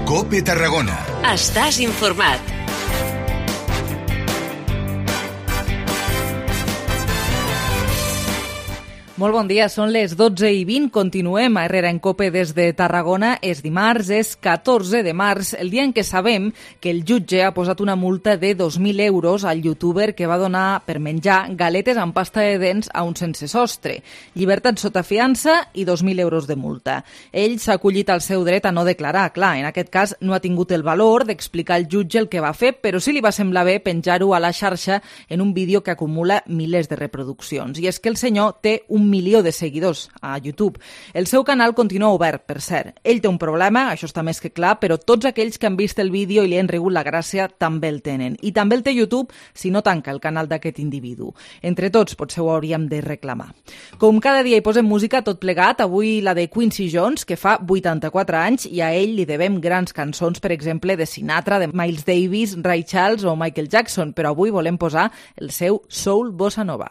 COPE Tarragona. Estàs informat. Molt bon dia, són les 12:20, continuem a Herrera en COPE des de Tarragona. És dimarts, és 14 de març, el dia en què sabem que el jutge ha posat una multa de 2.000 euros al youtuber que va donar per menjar galetes amb pasta de dents a un sense sostre. Llibertat sota fiança i 2.000 euros de multa. Ell s'ha acollit al seu dret a no declarar. Clar, en aquest cas no ha tingut el valor d'explicar al jutge el que va fer, però sí li va semblar bé penjar-ho a la xarxa en un vídeo que acumula milers de reproduccions. I és que el senyor té 1 milió de seguidors a YouTube. El seu canal continua obert, per cert. Ell té un problema, això està més que clar, però tots aquells que han vist el vídeo i li han rigut la gràcia també el tenen. I també el té YouTube si no tanca el canal d'aquest individu. Entre tots potser ho hauríem de reclamar. Com cada dia hi posem música tot plegat, avui la de Quincy Jones, que fa 84 anys, i a ell li devem grans cançons, per exemple, de Sinatra, de Miles Davis, Ray Charles o Michael Jackson, però avui volem posar el seu Soul Bossa Nova.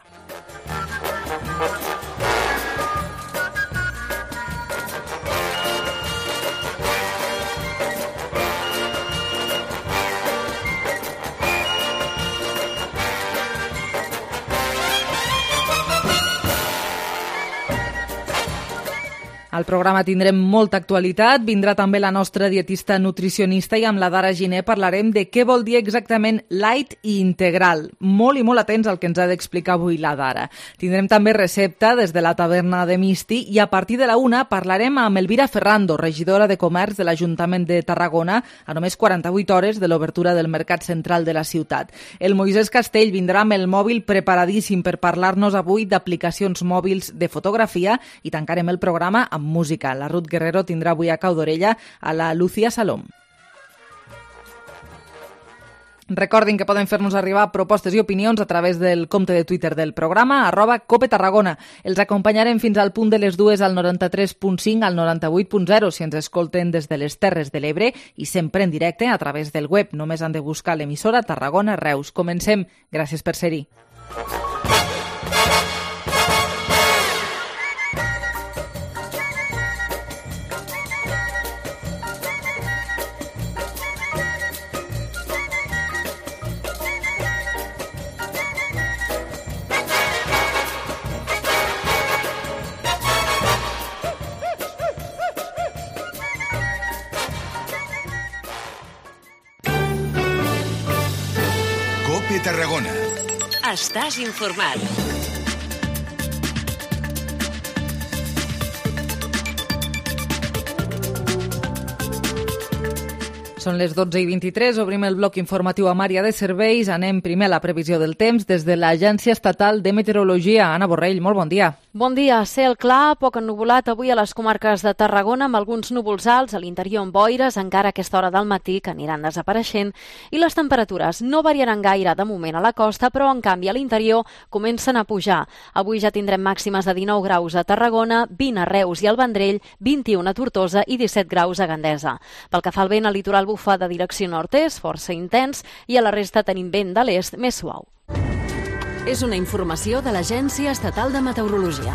Al programa tindrem molta actualitat, vindrà també la nostra dietista nutricionista i amb la Dara Giner parlarem de què vol dir exactament light i integral. Molt i molt atents al que ens ha d'explicar avui la Dara. Tindrem també recepta des de la taverna de Misti i a partir de la 1 parlarem amb Elvira Ferrando, regidora de Comerç de l'Ajuntament de Tarragona, a només 48 hores de l'obertura del Mercat Central de la ciutat. El Moisès Castell vindrà amb el mòbil preparadíssim per parlar-nos avui d'aplicacions mòbils de fotografia i tancarem el programa amb música. La Ruth Guerrero tindrà avui a cau d'orella a la Lucía Salom. Recordin que poden fer-nos arribar propostes i opinions a través del compte de Twitter del programa, @COPETarragona. Els acompanyarem fins al punt de les 2 al 93.5 al 98.0 si ens escolten des de les Terres de l'Ebre i sempre en directe a través del web. Només han de buscar l'emissora Tarragona Reus. Comencem. Gràcies per ser-hi. COPE Tarragona. Estàs informat. Són les 12:23, obrim el bloc informatiu amb àrea de serveis. Anem primer a la previsió del temps des de l'Agència Estatal de Meteorologia. Anna Borrell, molt bon dia. Bon dia. Cel clar, poc ennuvolat avui a les comarques de Tarragona amb alguns núvols alts, a l'interior amb boires, encara a aquesta hora del matí que aniran desapareixent, i les temperatures no variaran gaire de moment a la costa, però en canvi a l'interior comencen a pujar. Avui ja tindrem màximes de 19 graus a Tarragona, 20 a Reus i al Vendrell, 21 a Tortosa i 17 graus a Gandesa. Pel que fa al vent, al litoral bufa de direcció nord-est, força intens, i a la resta tenim vent de l'est més suau. És una informació de l'Agència Estatal de Meteorologia.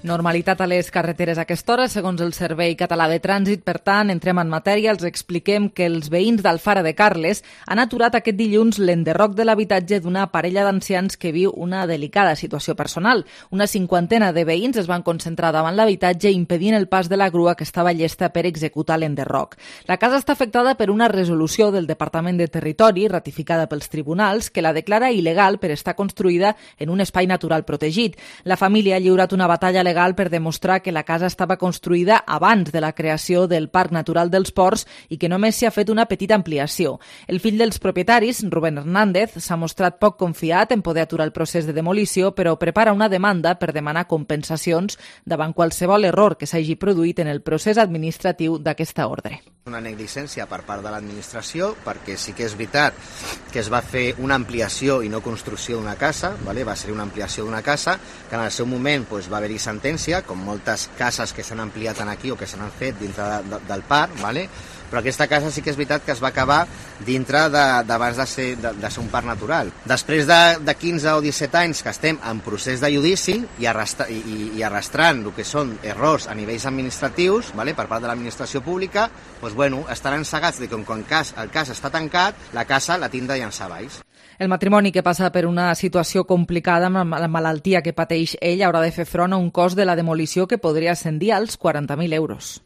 Normalitat a les carreteres a aquesta hora, segons el Servei Català de Trànsit. Per tant, entrem en matèria, els expliquem que els veïns d'Alfara de Carles han aturat aquest dilluns l'enderroc de l'habitatge d'una parella d'ancians que viu una delicada situació personal. Una 50ena de veïns es van concentrar davant l'habitatge impedint el pas de la grua que estava llesta per executar l'enderroc. La casa està afectada per una resolució del Departament de Territori, ratificada pels tribunals, que la declara il·legal per estar construïda en un espai natural protegit. La família ha lliurat una batalla legal per demostrar que la casa estava construïda abans de la creació del Parc Natural dels Ports i que només s'hi ha fet una petita ampliació. El fill dels propietaris, Rubén Hernández, s'ha mostrat poc confiat en poder aturar el procés de demolició, però prepara una demanda per demanar compensacions davant qualsevol error que s'hagi produït en el procés administratiu d'aquesta ordre. Una negligència per part de l'administració, perquè sí que és veritat que es va fer una ampliació i no construcció d'una casa, va ser una ampliació d'una casa, que en el seu moment va haver-hi sentència, com moltes cases que s'han ampliat aquí o que s'han fet dintre del parc, però aquesta casa sí que és veritat que es va acabar dintre d'abans de ser un parc natural. Després de 15 o 17 anys que estem en procés de judici i arrastrant el que són errors a nivells administratius per part de l'administració pública, estaran cegats de que quan el cas està tancat, la casa la tindrà llançar baix. El matrimoni, que passa per una situació complicada amb la malaltia que pateix ell, haurà de fer front a un cost de la demolició que podria ascendir als 40.000 euros.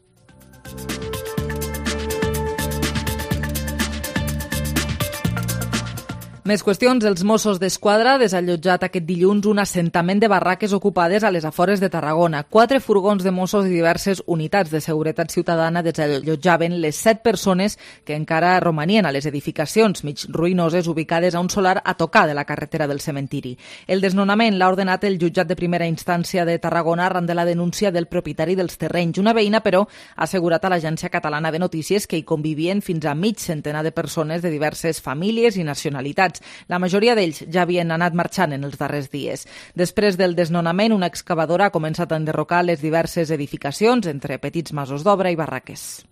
Més qüestions. Els Mossos d'Esquadra ha desallotjat aquest dilluns un assentament de barraques ocupades a les afores de Tarragona. 4 furgons de Mossos i diverses unitats de seguretat ciutadana desallotjaven les 7 persones que encara romanien a les edificacions mig ruïnoses ubicades a un solar a tocar de la carretera del cementiri. El desnonament l'ha ordenat el jutjat de primera instància de Tarragona arran de la denúncia del propietari dels terrenys. Una veïna, però, ha assegurat a l'Agència Catalana de Notícies que hi convivien fins a mig centenar de persones de diverses famílies i nacionalitats. La majoria d'ells ja havien anat marxant en els darrers dies. Després del desnonament, una excavadora ha començat a enderrocar les diverses edificacions entre petits masos d'obra i barraques.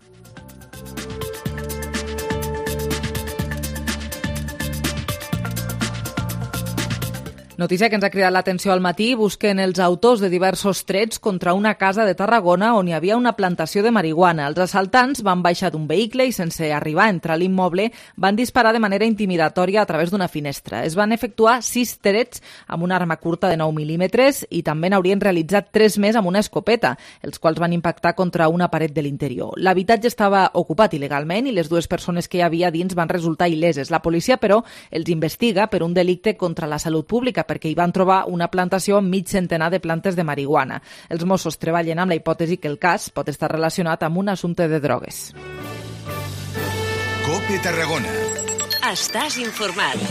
Notícia que ens ha cridat l'atenció al matí. Busquen els autors de diversos trets contra una casa de Tarragona on hi havia una plantació de marihuana. Els assaltants van baixar d'un vehicle i, sense arribar a entrar a l'immoble, van disparar de manera intimidatòria a través d'una finestra. Es van efectuar 6 trets amb una arma curta de 9 mil·límetres i també n'haurien realitzat 3 més amb una escopeta, els quals van impactar contra una paret de l'interior. L'habitatge estava ocupat il·legalment i les 2 persones que hi havia dins van resultar il·leses. La policia, però, els investiga per un delicte contra la salut pública, perquè hi van trobar una plantació amb mig centenar de plantes de marihuana. Els Mossos treballen amb la hipòtesi que el cas pot estar relacionat amb un assumpte de drogues. COPE Tarragona. Estàs informat.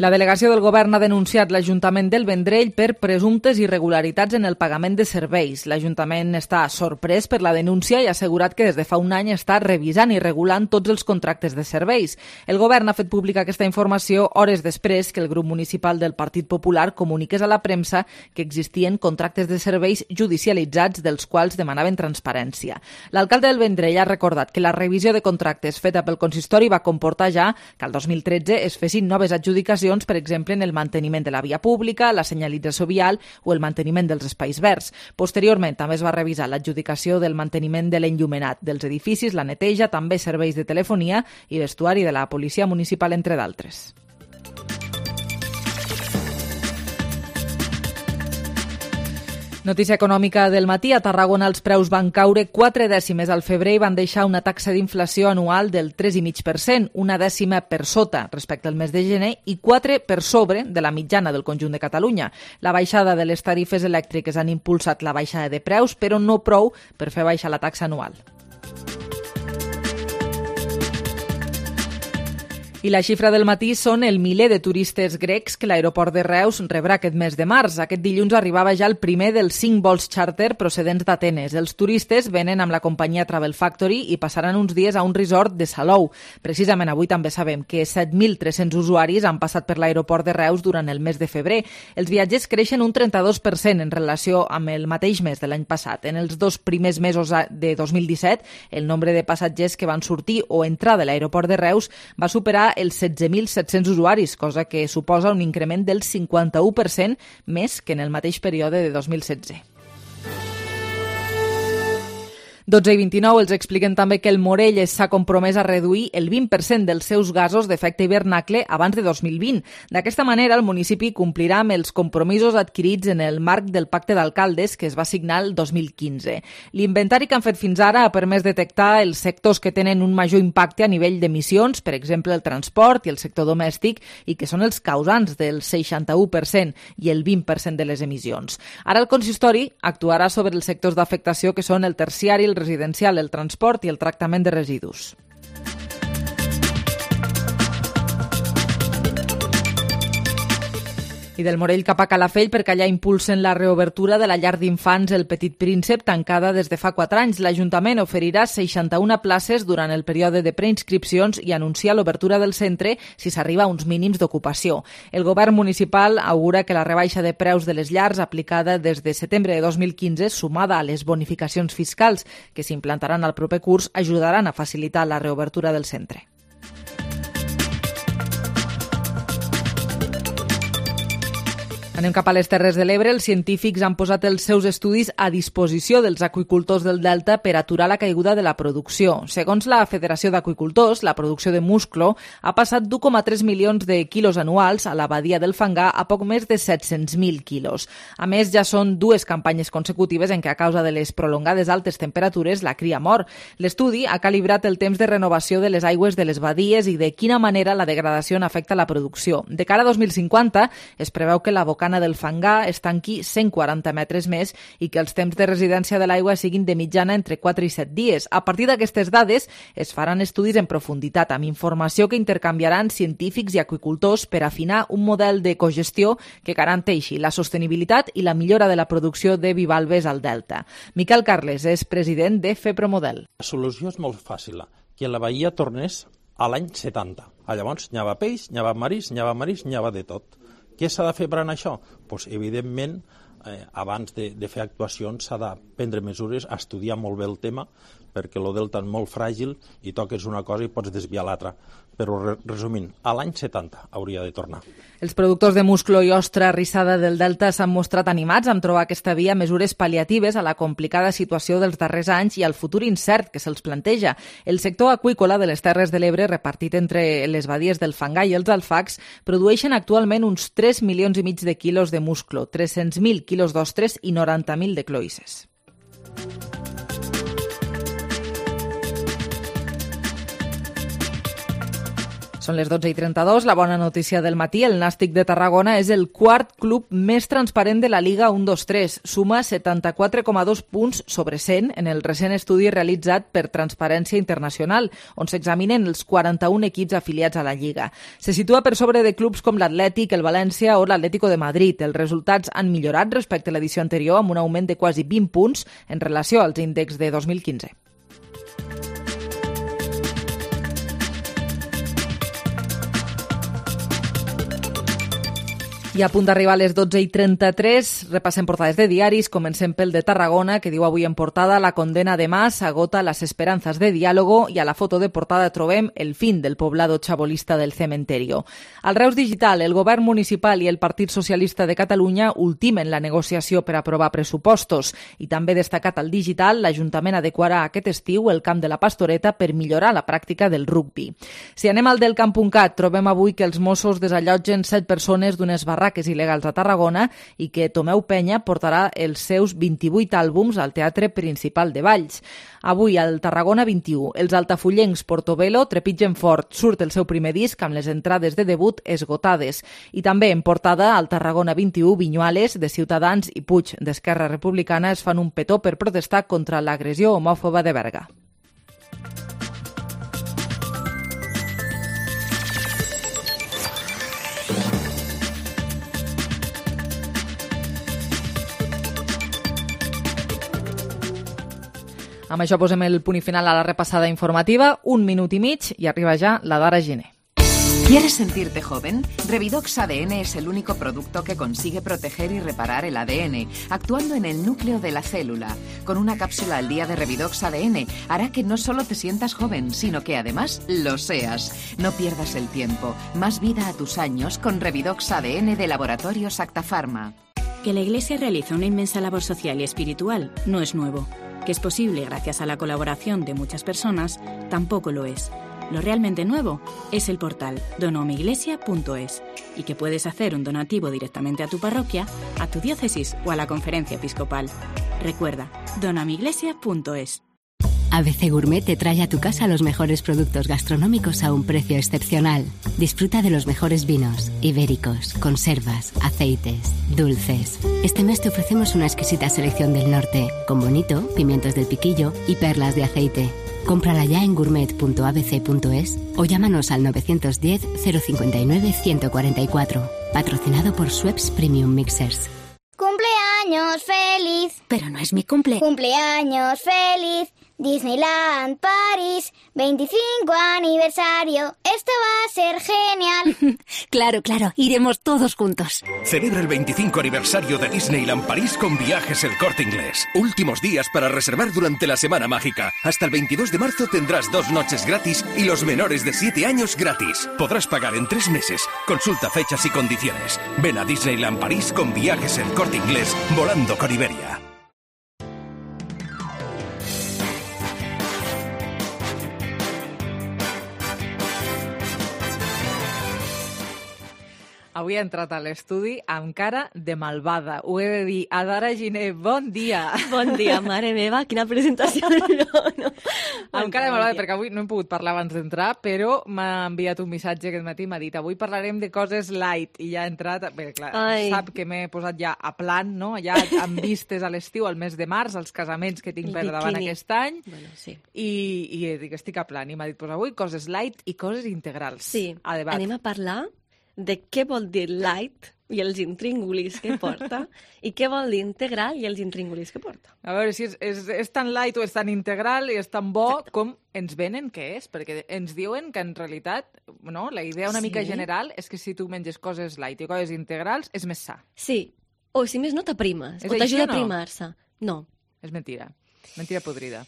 La delegació del Govern ha denunciat l'Ajuntament del Vendrell per presumptes irregularitats en el pagament de serveis. L'Ajuntament està sorprès per la denúncia i ha assegurat que des de fa un any està revisant i regulant tots els contractes de serveis. El Govern ha fet pública aquesta informació hores després que el grup municipal del Partit Popular comuniqués a la premsa que existien contractes de serveis judicialitzats dels quals demanaven transparència. L'alcalde del Vendrell ha recordat que la revisió de contractes feta pel consistori va comportar ja que el 2013 es fessin noves adjudicacions, per exemple, en el manteniment de la via pública, la senyalització vial o el manteniment dels espais verds. Posteriorment, també es va revisar l'adjudicació del manteniment de l'enllumenat dels edificis, la neteja, també serveis de telefonia i vestuari de la policia municipal, entre d'altres. Notícia econòmica del matí. A Tarragona els preus van caure 4 dècimes al febrer i van deixar una taxa d'inflació anual del 3,5%, una dècima per sota respecte al mes de gener i 4 per sobre de la mitjana del conjunt de Catalunya. La baixada de les tarifes elèctriques han impulsat la baixada de preus, però no prou per fer baixar la taxa anual. I la xifra del matí són el miler de turistes grecs que l'aeroport de Reus rebrà aquest mes de març. Aquest dilluns arribava ja el primer dels 5 vols xàrter procedents d'Atenes. Els turistes venen amb la companyia Travel Factory i passaran uns dies a un resort de Salou. Precisament avui també sabem que 7.300 usuaris han passat per l'aeroport de Reus durant el mes de febrer. Els viatgers creixen un 32% en relació amb el mateix mes de l'any passat. En els 2 primers mesos de 2017, el nombre de passatgers que van sortir o entrar de l'aeroport de Reus va superar els 16.700 usuaris, cosa que suposa un increment del 51% més que en el mateix període de 2016. 12:29 els expliquen també que el Morell s'ha compromès a reduir el 20% dels seus gasos d'efecte hivernacle abans de 2020. D'aquesta manera, el municipi complirà amb els compromisos adquirits en el marc del Pacte d'Alcaldes que es va signar el 2015. L'inventari que han fet fins ara ha permès detectar els sectors que tenen un major impacte a nivell d'emissions, per exemple el transport i el sector domèstic, i que són els causants del 61% i el 20% de les emissions. Ara el consistori actuarà sobre els sectors d'afectació que són el terciari, el residencial, el transport i el tractament de residus. I del Morell cap a Calafell perquè allà impulsen la reobertura de la llar d'infants El Petit Príncep, tancada des de fa 4 anys. L'Ajuntament oferirà 61 places durant el període de preinscripcions i anuncia l'obertura del centre si s'arriba a uns mínims d'ocupació. El govern municipal augura que la rebaixa de preus de les llars aplicada des de setembre de 2015, sumada a les bonificacions fiscals que s'implantaran al proper curs, ajudaran a facilitar la reobertura del centre. Anem cap a les Terres de l'Ebre. Els científics han posat els seus estudis a disposició dels aqüicultors del Delta per aturar la caiguda de la producció. Segons la Federació d'Aqüicultors, la producció de musclo ha passat d'1,3 milions de quilos anuals a la badia del Fangar a poc més de 700.000 quilos. A més, ja són 2 campanyes consecutives en què, a causa de les prolongades altes temperatures, la cria mor. L'estudi ha calibrat el temps de renovació de les aigües de les badies i de quina manera la degradació afecta la producció. De cara a 2050, es preveu que la bocana del Fangar es tanqui 140 metres més i que els temps de residència de l'aigua siguin de mitjana entre 4 i 7 dies. A partir d'aquestes dades es faran estudis en profunditat amb informació que intercanviaran científics i aqüicultors per afinar un model de cogestió que garanteixi la sostenibilitat i la millora de la producció de bivalves al Delta. Miquel Carles és president de FEPROMODEL. La solució és molt fàcil, que la bahia tornés a l'any 70. Llavors n'hi havia peix, n'hi havia maris, n'hi havia de tot. Què s'ha de fer per anar això? Pues, evidentment, abans de fer actuacions s'ha de prendre mesures, estudiar molt bé el tema, perquè el delta és molt fràgil i toques una cosa i pots desviar l'altra. Però, resumint, a l'any 70 hauria de tornar. Els productors de musclo i ostra rissada del Delta s'han mostrat animats amb trobar aquesta via mesures pal·liatives a la complicada situació dels darrers anys i al futur incert que se'ls planteja. El sector aqüícola de les Terres de l'Ebre, repartit entre les badies del Fangar i els alfacs, produeixen actualment uns 3,5 milions de quilos de musclo, 300.000 quilos d'ostres i 90.000 de cloïsses. Són les 12:32. La bona notícia del matí. El Nàstic de Tarragona és el 4 club més transparent de la Lliga 1-2-3. Suma 74,2 punts sobre 100 en el recent estudi realitzat per Transparència Internacional, on s'examinen els 41 equips afiliats a la Lliga. Se situa per sobre de clubs com l'Atlètic, el València o l'Atlético de Madrid. Els resultats han millorat respecte a l'edició anterior amb un augment de quasi 20 punts en relació als índexs de 2015. I a punt d'arribar a les 12:33, repassem portades de diaris. Comencem pel de Tarragona, que diu avui en portada: la condena de Mas agota las esperanzas de diálogo, i a la foto de portada trobem el fin del poblado chabolista del cementerio. Al Reus Digital, el govern municipal i el Partit Socialista de Catalunya ultimen la negociació per aprovar pressupostos, i també destacat al digital, l'Ajuntament adequarà aquest estiu el camp de la Pastoreta per millorar la pràctica del rugbi. Si anem al del camp.cat, trobem avui que els Mossos desallotgen 7 persones d'unes barraques il·legals a Tarragona i que Tomeu Penya portarà els seus 28 àlbums al Teatre Principal de Valls. Avui, al Tarragona 21, els altafollencs Portobello trepitgen fort. Surt el seu primer disc amb les entrades de debut esgotades. I també en portada, al Tarragona 21, Viñuales, de Ciutadans, i Puig, d'Esquerra Republicana, es fan un petó per protestar contra l'agressió homòfoba de Berga. Amb això posem el punt final a la repassada informativa. 1 minut i mig i arriba ja la d'Ara Giner. ¿Quieres sentirte joven? Revidox ADN es el único producto que consigue proteger y reparar el ADN, actuando en el núcleo de la célula. Con una cápsula al día de Revidox ADN hará que no solo te sientas joven, sino que además lo seas. No pierdas el tiempo. Más vida a tus años con Revidox ADN de Laboratorios Acta Pharma. Que la Iglesia realiza una inmensa labor social y espiritual no es nuevo. Que es posible gracias a la colaboración de muchas personas tampoco lo es. Lo realmente nuevo es el portal donoamiglesia.es y que puedes hacer un donativo directamente a tu parroquia, a tu diócesis o a la conferencia episcopal. Recuerda, donoamiglesia.es. ABC Gourmet te trae a tu casa los mejores productos gastronómicos a un precio excepcional. Disfruta de los mejores vinos, ibéricos, conservas, aceites, dulces. Este mes te ofrecemos una exquisita selección del norte, con bonito, pimientos del piquillo y perlas de aceite. Cómprala ya en gourmet.abc.es o llámanos al 910 059 144. Patrocinado por Schweppes Premium Mixers. ¡Cumpleaños feliz! Pero no es mi cumple. ¡Cumpleaños feliz! Disneyland París, 25 aniversario. Esto va a ser genial. Claro, iremos todos juntos. Celebra el 25 aniversario de Disneyland París con Viajes El Corte Inglés. Últimos días para reservar durante la Semana Mágica. Hasta el 22 de marzo tendrás 2 noches gratis y los menores de 7 años gratis. Podrás pagar en 3 meses. Consulta fechas y condiciones. Ven a Disneyland París con Viajes El Corte Inglés, volando con Iberia. Avui ha entrat a l'estudi amb cara de malvada. Ho he de dir. Adara Giner, bon dia. Bon dia, mare meva, quina presentació. No. Amb cara de malvada, perquè avui no hem pogut parlar abans d'entrar, però m'ha enviat un missatge aquest matí, m'ha dit, avui parlarem de coses light, i ja ha entrat, bé, clar, sap que m'he posat ja a plan, no? Ja amb vistes a l'estiu, al mes de març, als casaments que tinc per davant aquest any, bueno, sí. i dic, estic a plan, i m'ha dit, pues avui coses light i coses integrals. Sí, a debat. anem a parlar de què vol dir light i els intríngulis que porta i què vol dir integral i els intríngulis que porta. A veure si és tan light o és tan integral i és tan bo com ens venen que és, perquè ens diuen que en realitat no, la idea una mica general és que si tu menges coses light i coses integrals és més sa. Sí, o si més no t'aprimes, o t'ajuda a aprimar-se. No. És mentira. Mentira podrida.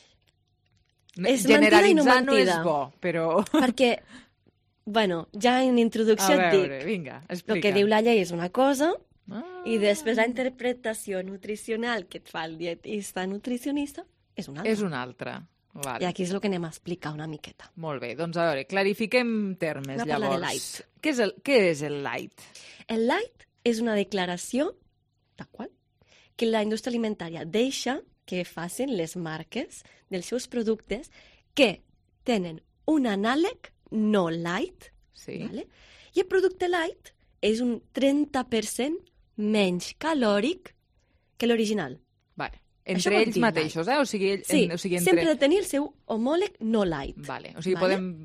És mentida i no mentida. Generalitzar no és bo, però... Perquè... Bueno, ja en introducció et dic, vinga, explica. El que diu la llei és una cosa i després la interpretació nutricional que et fa el dietista nutricionista és una altra. És una altra. Vale. I aquí és el que anem a explicar una miqueta. Molt bé, doncs a veure, clarifiquem termes, Anem a parlar llavors. de light. Què és el light? El light és una declaració, tal qual, que la indústria alimentària deixa que facin les marques dels seus productes que tenen un anàleg no light, sí. Vale? I el producte light és un 30% menys calòric que l'original. Vale. Entre ells mateixos, light. O sigui, entre... sempre de tenir el seu homòleg no light. Vale. O sigui,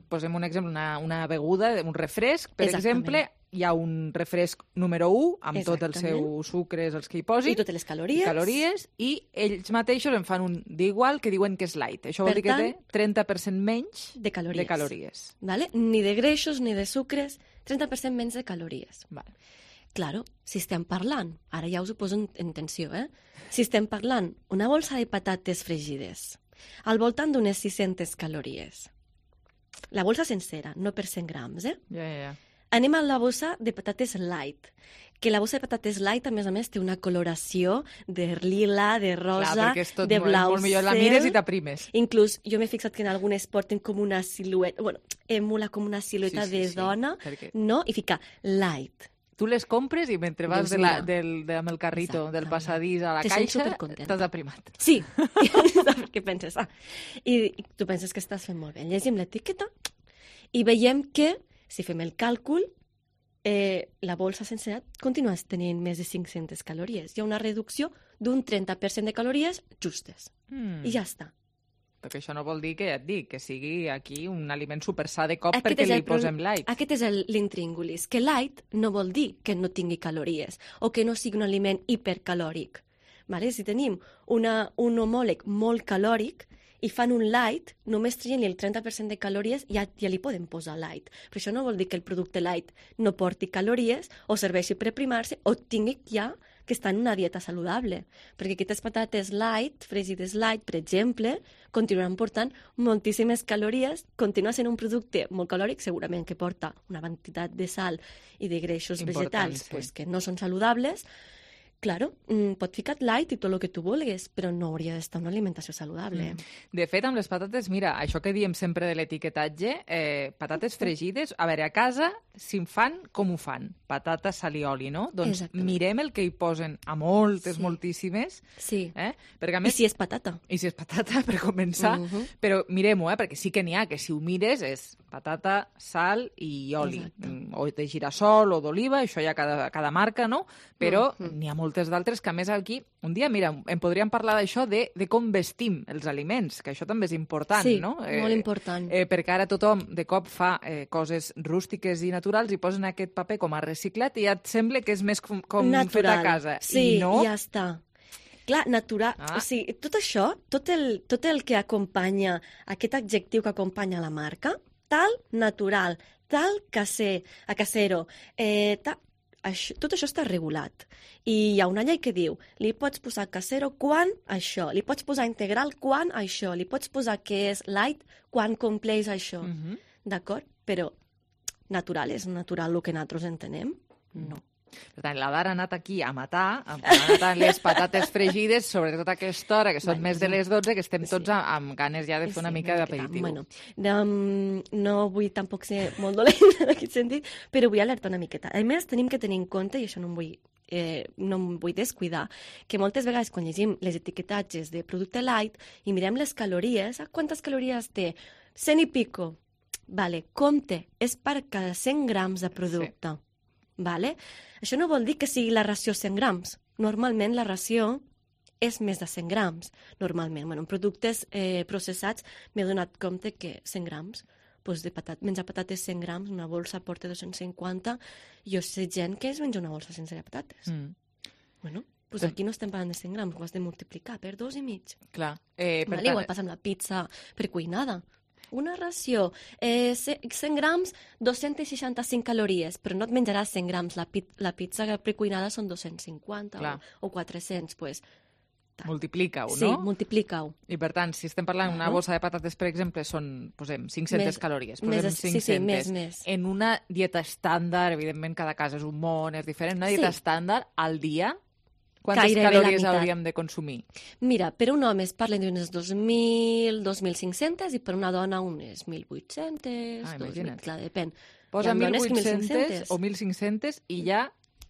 posem un exemple, una beguda, un refresc, per exemple, hi ha un refresc número 1, amb tot els seus sucres, els que hi posin. I totes les calories. I ells mateixos en fan un d'igual que diuen que és light. Això vol dir que té 30% menys de calories. Vale? Ni de greixos ni de sucres, 30% menys de calories. Vale. Claro, si estem parlant, ara ja us ho poso en tensió, si estem parlant una bolsa de patates fregides al voltant d'unes 600 calories, la bolsa sencera, no per 100 grams, Ja. Anem a la bossa de patates light, que la bossa de patates light, a més, té una coloració de lila, de rosa, de blau. És molt millor, la mires i t'aprimes. Inclús, jo m'he fixat que en algunes porten com una silueta, emula com una silueta de dona, no? I fica light. Tu les compres i mentre vas amb el carrito del passadís a la caixa, t'has aprimat. Sí, què penses? I tu penses que estàs fent molt bé. Llegim l'etiqueta i veiem que si fem el càlcul, la bolsa sencera continua tenint més de 500 calories. Hi ha una reducció d'un 30% de calories justes. I ja està. Perquè això no vol dir que, ja et dic, que sigui aquí un aliment supersà de cop perquè li posem light. Aquest és l'intríngulis, que light no vol dir que no tingui calories o que no sigui un aliment hipercalòric. Vale? Si tenim un homòleg molt calòric, i fan un light, només trien el 30% de calories i ja li poden posar light. Però això no vol dir que el producte light no porti calories o serveixi per aprimar-se o tingui ja que estar en una dieta saludable. Perquè aquestes patates light, fregides light, per exemple, continuaran portant moltíssimes calories, continua sent un producte molt calòric, segurament que porta una quantitat de sal i de greixos vegetals que no són saludables. Claro, pot ficar light i tot el que tu vulguis, però no hauria d'estar una alimentació saludable. De fet, amb les patates, mira, això que diem sempre de l'etiquetatge, patates fregides, a veure, a casa, si en fan, com ho fan? Patata, sal i oli, no? Doncs mirem el que hi posen a moltíssimes. Sí, perquè a més, i si és patata. I si és patata, per començar. Però mirem-ho, perquè sí que n'hi ha, que si ho mires és patata, sal i oli. O de girassol o d'oliva, això ja cada marca, no? Però n'hi ha molt moltes d'altres, que a més aquí, un dia, mira, em podríem parlar d'això, de com vestim els aliments, que això també és important, no? Sí, molt important. Perquè ara tothom de cop fa coses rústiques i naturals i posen aquest paper com a reciclat i ja et sembla que és més com fet a casa. Sí, I no... ja està. Clar, natural. O sigui, tot això, tot el que acompanya, aquest adjectiu que acompanya la marca, tal natural, tal casero, tot això està regulat. I hi ha una llei que diu, li pots posar casero quan això, li pots posar integral quan això, li pots posar que és light quan compleix això. D'acord? Però natural és natural el que nosaltres entenem? No. Per tant, l'Adar ha anat aquí a matar, ha anat les patates fregides, sobretot a aquesta hora, que són més de les 12, que estem tots amb ganes ja de fer una mica d'aperitiu. Bueno, no vull tampoc ser molt dolent en aquest sentit, però vull alertar una miqueta. A més, tenim que tenir en compte, i això no em vull descuidar, que moltes vegades quan llegim les etiquetatges de producte light i mirem les calories, quantes calories té? 100 i pico. Vale, compte, és per cada 100 grams de producte. Sí. Vale? Això no vol dir que sigui la ració 100 grams. Normalment la ració és més de 100 grams. Normalment, bueno, en productes processats m'he donat compte que 100 grams, doncs menjar patates 100 grams, una bolsa porta 250, jo sé gent que es menja una bolsa sense patates. Bueno, doncs aquí no estem parlant de 100 grams, ho has de multiplicar per 2,5. Clar. Igual passa amb la pizza precuinada. Una ració, 100 grams, 265 calories, però no et menjaràs 100 grams. La pizza precuinada són 250 o 400, doncs... Multiplica-ho, no? Sí, multiplica-ho. I per tant, si estem parlant d'una bossa de patates, per exemple, posem 500 calories. Posem 500. Sí, més. En una dieta estàndard, evidentment cada cas és un món, és diferent, una dieta estàndard al dia... Quantes calories hauríem de consumir? Mira, per un home es parla d'unes 2.000, 2.500 i per una dona unes 1.800, 2.000, clar, depèn. Posa 1.800 o 1.500 i ja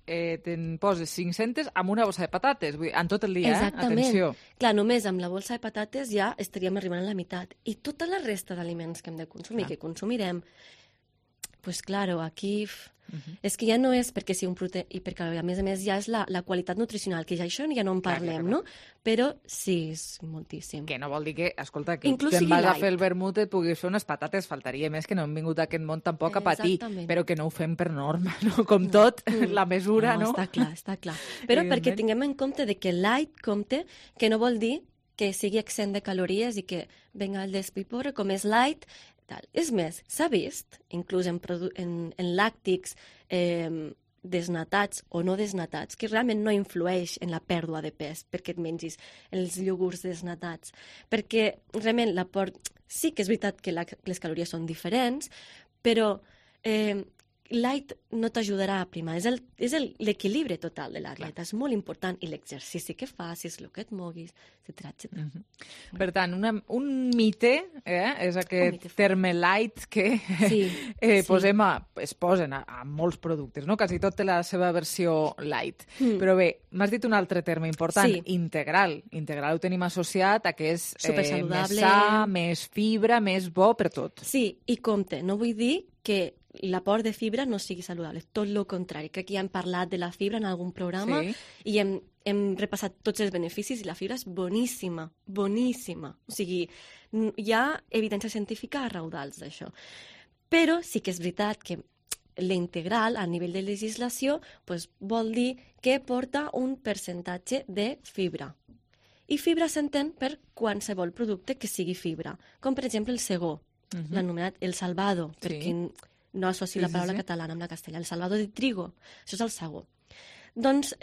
te'n poses 500 amb una bossa de patates, vull dir, en tot el dia, exactament. Atenció. Clar, només amb la bossa de patates ja estaríem arribant a la meitat. I tota la resta d'aliments que hem de consumir, que consumirem, pues claro, aquí... És que ja no és perquè sigui un producte i perquè a més ja és la qualitat nutricional, que ja això ja no en parlem, no? Però sí, és moltíssim. Que no vol dir que, escolta, que te'n vas a fer el vermut et puguis fer unes patates, faltaria més que no hem vingut a aquest món tampoc a patir, però que no ho fem per norma, no? Com tot, la mesura, no? Està clar. Però perquè tinguem en compte de que light compte, que no vol dir que sigui exempt de calories i que venga el despiporre, com és light. És més, s'ha vist, inclús en làctics desnatats o no desnatats, que realment no influeix en la pèrdua de pes perquè et mengis els iogurts desnatats. Perquè realment sí que és veritat que les calories són diferents, però light no t'ajudarà a primar. És l'equilibri total de la dieta. És molt important. I l'exercici que facis, el que et moguis, etcètera. Per tant, un mite és aquest terme light que es posen a molts productes, no? Quasi tot té la seva versió light. Però bé, m'has dit un altre terme important, integral. Integral ho tenim associat a que és més sa, més fibra, més bo per tot. Sí, i compte, no vull dir que l'aport de fibra no sigui saludable, tot el contrari. Crec que ja hem parlat de la fibra en algun programa i hem repassat tots els beneficis i la fibra és boníssima, boníssima. O sigui, hi ha evidència científica a raudals d'això. Però sí que és veritat que l'integral a nivell de legislació vol dir que porta un percentatge de fibra. I fibra s'entén per qualsevol producte que sigui fibra, com per exemple el segó, l'anomenat el salvado, perquè no associ la paraula catalana amb la castellà. El salvado de trigo, això és el segó. Doncs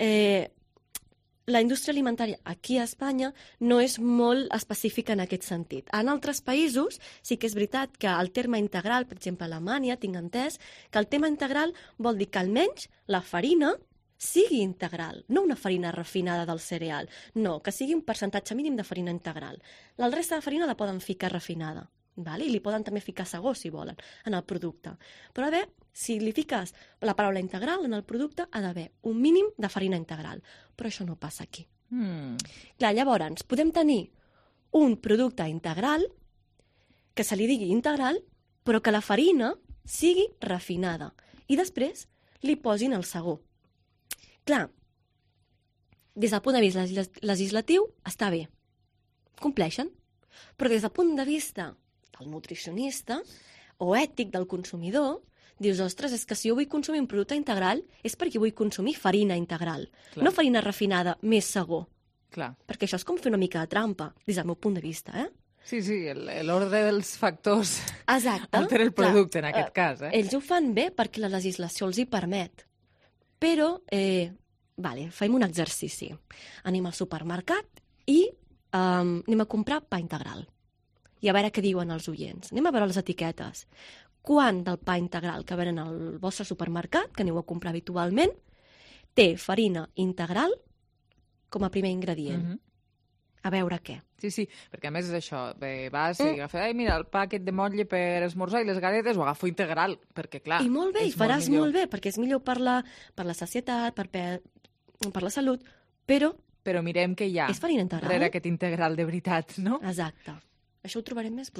la indústria alimentària aquí a Espanya no és molt específica en aquest sentit. En altres països sí que és veritat que el terme integral, per exemple a Alemanya, tinc entès que el tema integral vol dir que almenys la farina sigui integral, no una farina refinada del cereal, no, que sigui un percentatge mínim de farina integral. La resta de farina la poden ficar refinada. I li poden també ficar segó, si volen, en el producte. Però a veure, si li fiques la paraula integral en el producte, ha d'haver un mínim de farina integral. Però això no passa aquí. Clar, llavors, podem tenir un producte integral, que se li digui integral, però que la farina sigui refinada. I després li posin el segó. Clar, des del punt de vista legislatiu està bé, compleixen, però des del punt de vista del nutricionista o ètic del consumidor, dius, ostres, és que si jo vull consumir un producte integral és perquè vull consumir farina integral, no farina refinada més segó. Clar. Perquè això és com fer una mica de trampa, des del meu punt de vista, Sí, l'ordre dels factors altera el producte, en aquest cas. Ells ho fan bé perquè la legislació els hi permet. Però, fem un exercici. Anem al supermercat i anem a comprar pa integral. I a veure què diuen els oients. Anem a veure les etiquetes. Quant del pa integral que venen al vostre supermercat, que aneu a comprar habitualment, té farina integral com a primer ingredient. A veure què. Sí, perquè a més és això, vas i agafes, mira, el pa aquest de motlle per esmorzar i les galetes ho agafo integral, perquè clar... I molt bé, i faràs molt bé, perquè és millor per la sacietat, per la salut, però mirem què hi ha darrere aquest integral de veritat, no? Exacte. Això ho trobarem més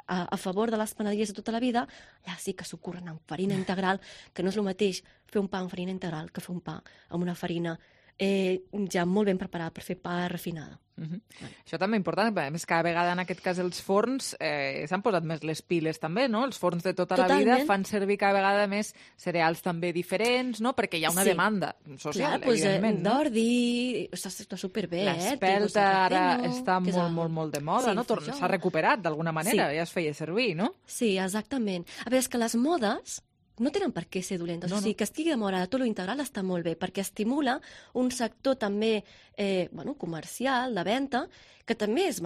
a favor de les panaderies de tota la vida. Allà sí que s'ho curren amb farina integral, que no és el mateix fer un pa amb farina integral que fer un pa amb una farina ja molt ben preparada per fer pa refinada. Això també és important, a més cada vegada en aquest cas els forns s'han posat més les piles també, no? Els forns de tota la vida fan servir cada vegada més cereals també diferents, no? Perquè hi ha una demanda social, evidentment. D'ordi, està superbé. L'espelta ara està molt de moda, no? S'ha recuperat d'alguna manera, ja es feia servir, no? Sí, exactament. A veure, és que les modes no tenen per què ser dolentes. O sigui, que estigui de moda tot lo integral està molt bé, perquè estimula un sector també comercial, de venda, que també és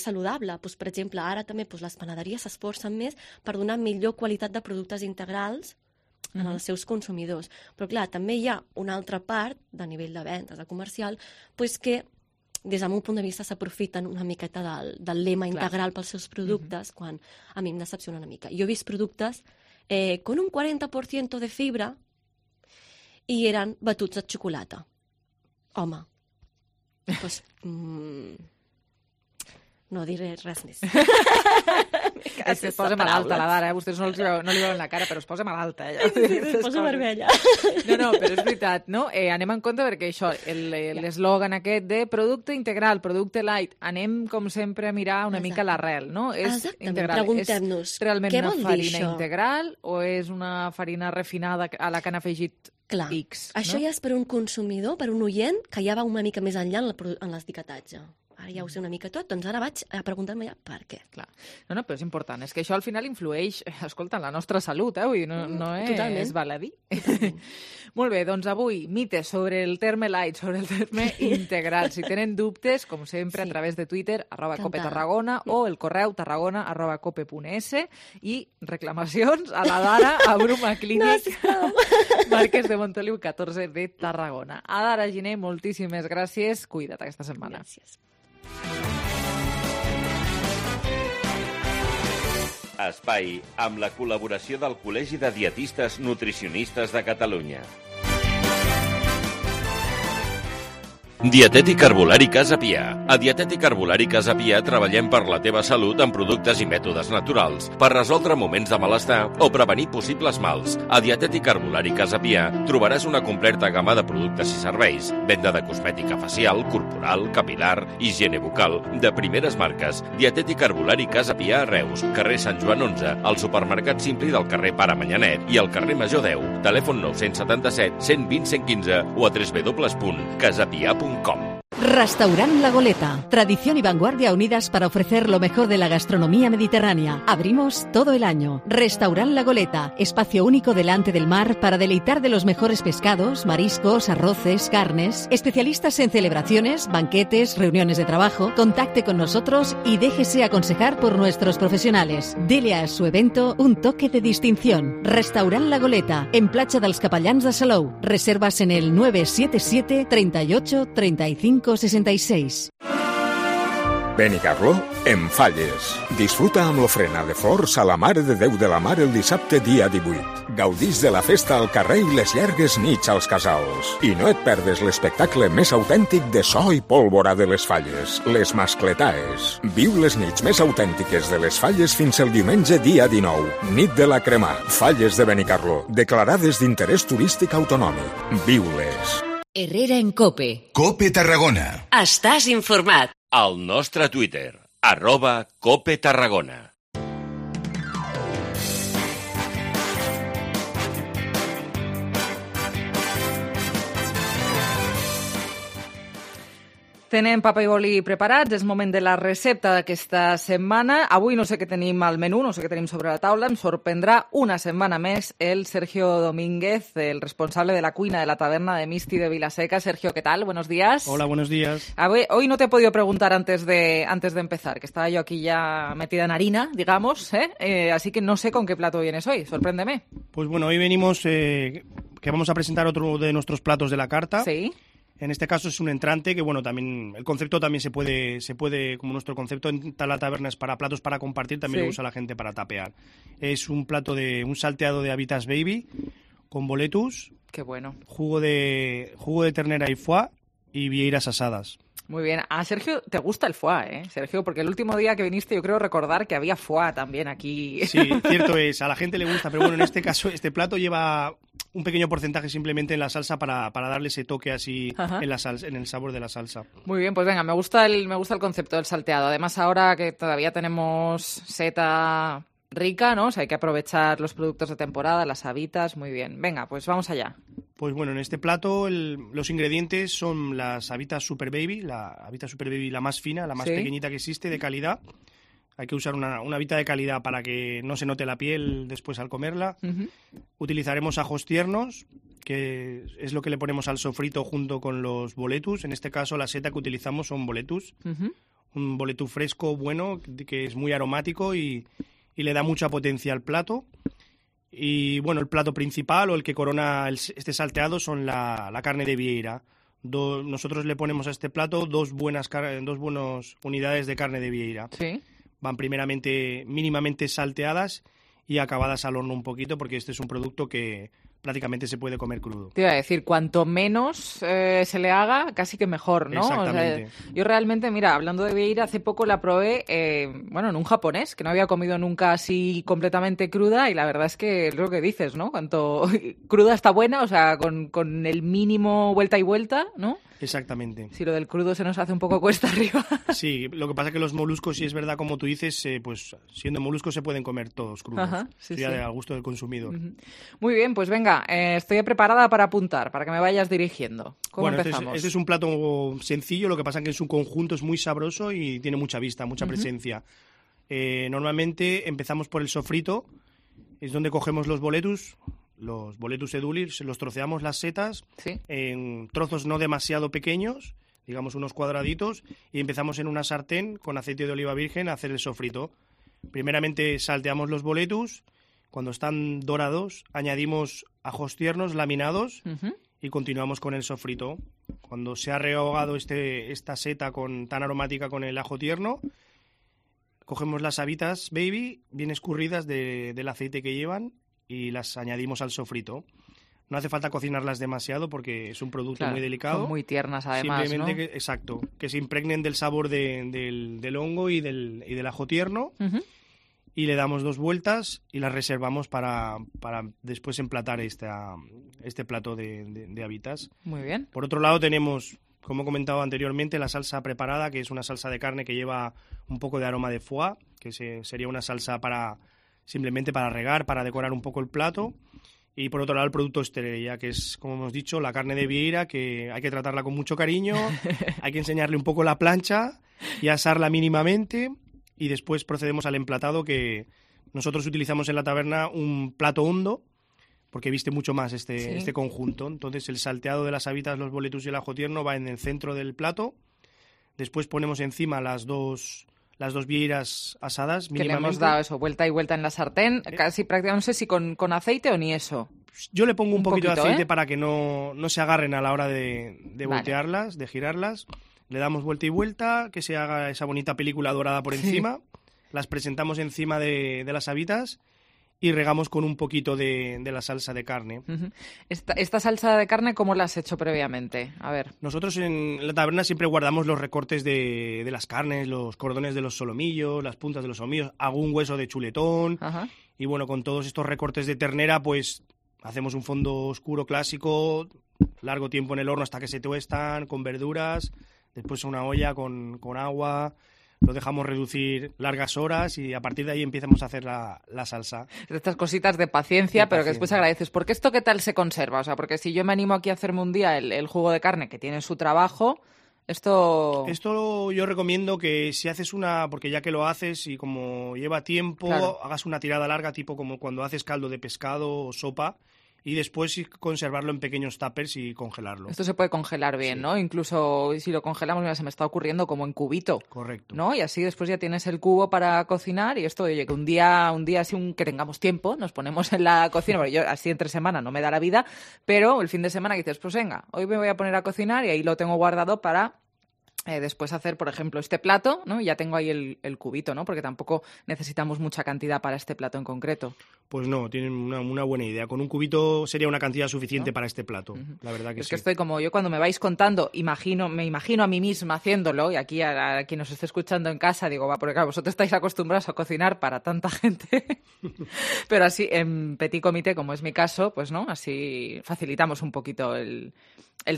saludable. Per exemple, ara també les panaderies s'esforcen més per donar millor qualitat de productes integrals als seus consumidors. Però clar, també hi ha una altra part, de nivell de vendes, de comercial, que des del meu punt de vista s'aprofiten una miqueta del lema integral pels seus productes, quan a mi em decepciona una mica. Jo he vist productes con un 40% de fibra i eren batuts de xocolata. Home, doncs no diré res més. Es posa malalta la Dara, vostès no li veuen la cara, però es posa malalta. Sí, es posa vermella. No, però és veritat, no? Anem en compte perquè això, l'eslògan aquest de producte integral, producte light, anem com sempre a mirar una mica l'arrel, no? Exactament, preguntem-nos, és realment una farina integral o és una farina refinada a la que han afegit X? Això ja és per un consumidor, per un oient, que ja va una mica més enllà en l'etiquetatge. Ara ja ho sé una mica tot, doncs ara vaig a preguntar-me ja per què. Clar. No, però és important. És que això al final influeix, escolta, en la nostra salut, vull dir, no és baladí. Molt bé, doncs avui, mites sobre el terme light, sobre el terme integral. Si tenen dubtes, com sempre, a través de Twitter, @copetarragona, o el correu tarragona@cope.es, i reclamacions a la Dara, a Bruma Clínic, Marquès de Montoliu 14 de Tarragona. A Dara Giner, moltíssimes gràcies. Cuida't aquesta setmana. Gràcies. Espai amb la col·laboració del Col·legi de Dietistes Nutricionistes de Catalunya. Dietètic Herbolari Casa Pià. A Dietètic Herbolari Casa Pià treballem per la teva salut amb productes i mètodes naturals per resoldre moments de malestar o prevenir possibles mals. A Dietètic Herbolari Casa Pià trobaràs una completa gamma de productes i serveis, venda de cosmètica facial, corporal, capilar, higiene bucal, de primeres marques. Dietètic Herbolari Casa Pià a Reus, carrer Sant Joan 11, al supermercat Simpli del carrer Pare Manyanet i al carrer Major 10. Telèfon 977 120 115 o a www.casapia.com. Restaurant La Goleta. Tradición y vanguardia unidas para ofrecer lo mejor de la gastronomía mediterránea. Abrimos todo el año. Restaurant La Goleta. Espacio único delante del mar para deleitar de los mejores pescados, mariscos, arroces, carnes. Especialistas en celebraciones, banquetes, reuniones de trabajo. Contacte con nosotros y déjese aconsejar por nuestros profesionales. Dele a su evento un toque de distinción. Restaurant La Goleta. En Platja dels Capellans de Salou. Reservas en el 977 38 35 66. Benicarló, en Falles. Disfruta amb l'ofrena de flors a la Mare de Déu de la Mar el dissabte dia 18. Gaudís de la festa al carrer i les llargues nits als casals. I no et perdes l'espectacle més autèntic de so i pólvora de les Falles, les Mascletaes. Viu les nits més autèntiques de les Falles fins el diumenge dia 19. Nit de la Cremà. Falles de Benicarló, declarades d'interès turístic autonòmic. Viu-les. Herrera en COPE. COPE Tarragona. Estàs informat. Al nostre Twitter, @COPE Tarragona. Tenem paper i boli preparats, és moment de la recepta d'aquesta setmana. Avui no sé què tenim al menú, no sé què tenim sobre la taula. Em sorprendrà una setmana més el Sergio Domínguez, el responsable de la cuina de la taberna de Misti de Vilaseca. Sergio, ¿qué tal? Buenos días. Hola, buenos días. Hoy no te he podido preguntar antes de empezar, que estaba yo aquí ya metida en harina, digamos, así que no sé con qué plato vienes hoy. Sorpréndeme. Pues bueno, hoy venimos que vamos a presentar otro de nuestros platos de la carta. Sí. En este caso es un entrante que, bueno, también el concepto también se puede, como nuestro concepto en la taberna es para platos para compartir, también lo usa la gente para tapear. Es un plato un salteado de habitas baby con boletus. Qué bueno. Jugo de ternera y foie y vieiras asadas. Muy bien. A Sergio te gusta el foie, Sergio, porque el último día que viniste yo creo recordar que había foie también aquí. Sí, cierto es. A la gente le gusta, pero bueno, en este caso este plato lleva un pequeño porcentaje simplemente en la salsa para darle ese toque así en la salsa, en el sabor de la salsa. Muy bien, pues venga, me gusta el concepto del salteado. Además ahora que todavía tenemos seta rica, ¿no? O sea, hay que aprovechar los productos de temporada, las habitas, muy bien. Venga, pues vamos allá. Pues bueno, en este plato los ingredientes son las habitas Super Baby, la habita Super Baby la más fina, la más pequeñita que existe, de calidad. Hay que usar una habita de calidad para que no se note la piel después al comerla. Utilizaremos ajos tiernos, que es lo que le ponemos al sofrito junto con los boletus. En este caso la seta que utilizamos son boletus. Un boletú fresco, bueno, que es muy aromático y le da mucha potencia al plato. Y bueno, el plato principal o el que corona este salteado son la carne de vieira. Nosotros le ponemos a este plato dos buenas unidades de carne de vieira. Sí. Van primeramente mínimamente salteadas y acabadas al horno un poquito, porque este es un producto que prácticamente se puede comer crudo. Te iba a decir, cuanto menos se le haga, casi que mejor, ¿no? Exactamente. O sea, yo realmente, mira, hablando de vieira, hace poco la probé, en un japonés, que no había comido nunca así completamente cruda, y la verdad es que es lo que dices, ¿no? Cuanto cruda está buena, o sea, con el mínimo vuelta y vuelta, ¿no? Exactamente. Si lo del crudo se nos hace un poco cuesta arriba. Sí, lo que pasa es que los moluscos, si es verdad como tú dices, pues siendo moluscos se pueden comer todos crudos. Ajá, sí, sí. Al gusto del consumidor. Muy bien, pues venga, estoy preparada para apuntar, para que me vayas dirigiendo. ¿Cómo empezamos? Este es un plato sencillo, lo que pasa es que en su conjunto es muy sabroso y tiene mucha vista, mucha presencia. Normalmente empezamos por el sofrito, es donde cogemos los boletus edulis, los troceamos las setas en trozos no demasiado pequeños, digamos unos cuadraditos, y empezamos en una sartén con aceite de oliva virgen a hacer el sofrito. Primeramente salteamos los boletus, cuando están dorados añadimos ajos tiernos laminados y continuamos con el sofrito. Cuando se ha rehogado esta seta tan aromática con el ajo tierno, cogemos las habitas baby bien escurridas del aceite que llevan y las añadimos al sofrito. No hace falta cocinarlas demasiado porque es un producto muy delicado. Son muy tiernas además, simplemente ¿no? Exacto, que se impregnen del sabor del hongo y del ajo tierno. Y le damos 2 vueltas y las reservamos para después emplatar este plato de habitas. Muy bien. Por otro lado tenemos, como he comentado anteriormente, la salsa preparada, que es una salsa de carne que lleva un poco de aroma de foie, que sería una salsa simplemente para regar, para decorar un poco el plato. Y por otro lado el producto estrella, que es, como hemos dicho, la carne de vieira, que hay que tratarla con mucho cariño, hay que enseñarle un poco la plancha y asarla mínimamente, y después procedemos al emplatado, que nosotros utilizamos en la taberna un plato hondo, porque viste mucho más este conjunto. Entonces el salteado de las habitas, los boletus y el ajo tierno va en el centro del plato. Después ponemos encima las dos vieiras asadas mínimamente. Que le hemos dado eso, vuelta y vuelta en la sartén, casi prácticamente, no sé si con aceite o ni eso. Yo le pongo un poquito de aceite para que no se agarren a la hora de voltearlas, de girarlas. Le damos vuelta y vuelta, que se haga esa bonita película dorada por encima. Las presentamos encima de las habitas y regamos con un poquito de la salsa de carne. ¿Esta salsa de carne cómo la has hecho previamente? A ver. Nosotros en la taberna siempre guardamos los recortes de las carnes, los cordones de los solomillos, las puntas de los solomillos, algún hueso de chuletón. Y bueno, con todos estos recortes de ternera, pues hacemos un fondo oscuro clásico, largo tiempo en el horno hasta que se tuestan, con verduras, después una olla con agua, lo dejamos reducir largas horas y a partir de ahí empezamos a hacer la salsa. Estas cositas de paciencia, pero que después agradeces. ¿Por qué esto qué tal se conserva? O sea, porque si yo me animo aquí a hacerme un día el jugo de carne, que tiene su trabajo, Esto yo recomiendo que si haces porque ya que lo haces y como lleva tiempo, claro, hagas una tirada larga, tipo como cuando haces caldo de pescado o sopa, y después conservarlo en pequeños tuppers y congelarlo. Esto se puede congelar bien, sí, ¿no? Incluso si lo congelamos, mira, se me está ocurriendo como en cubito. Correcto. ¿No? Y así después ya tienes el cubo para cocinar y esto, oye, que un día así que tengamos tiempo, nos ponemos en la cocina, porque yo así entre semana no me da la vida, pero el fin de semana que dices, pues venga, hoy me voy a poner a cocinar y ahí lo tengo guardado para después hacer, por ejemplo, este plato, ¿no? Y ya tengo ahí el cubito, ¿no? Porque tampoco necesitamos mucha cantidad para este plato en concreto. Pues no, tienen una buena idea. Con un cubito sería una cantidad suficiente, ¿no?, para este plato. La verdad que sí. Es que estoy como yo cuando me vais contando, me imagino a mí misma haciéndolo, y aquí a quien nos esté escuchando en casa digo, porque claro, vosotros estáis acostumbrados a cocinar para tanta gente, pero así en petit comité, como es mi caso, pues no, así facilitamos un poquito el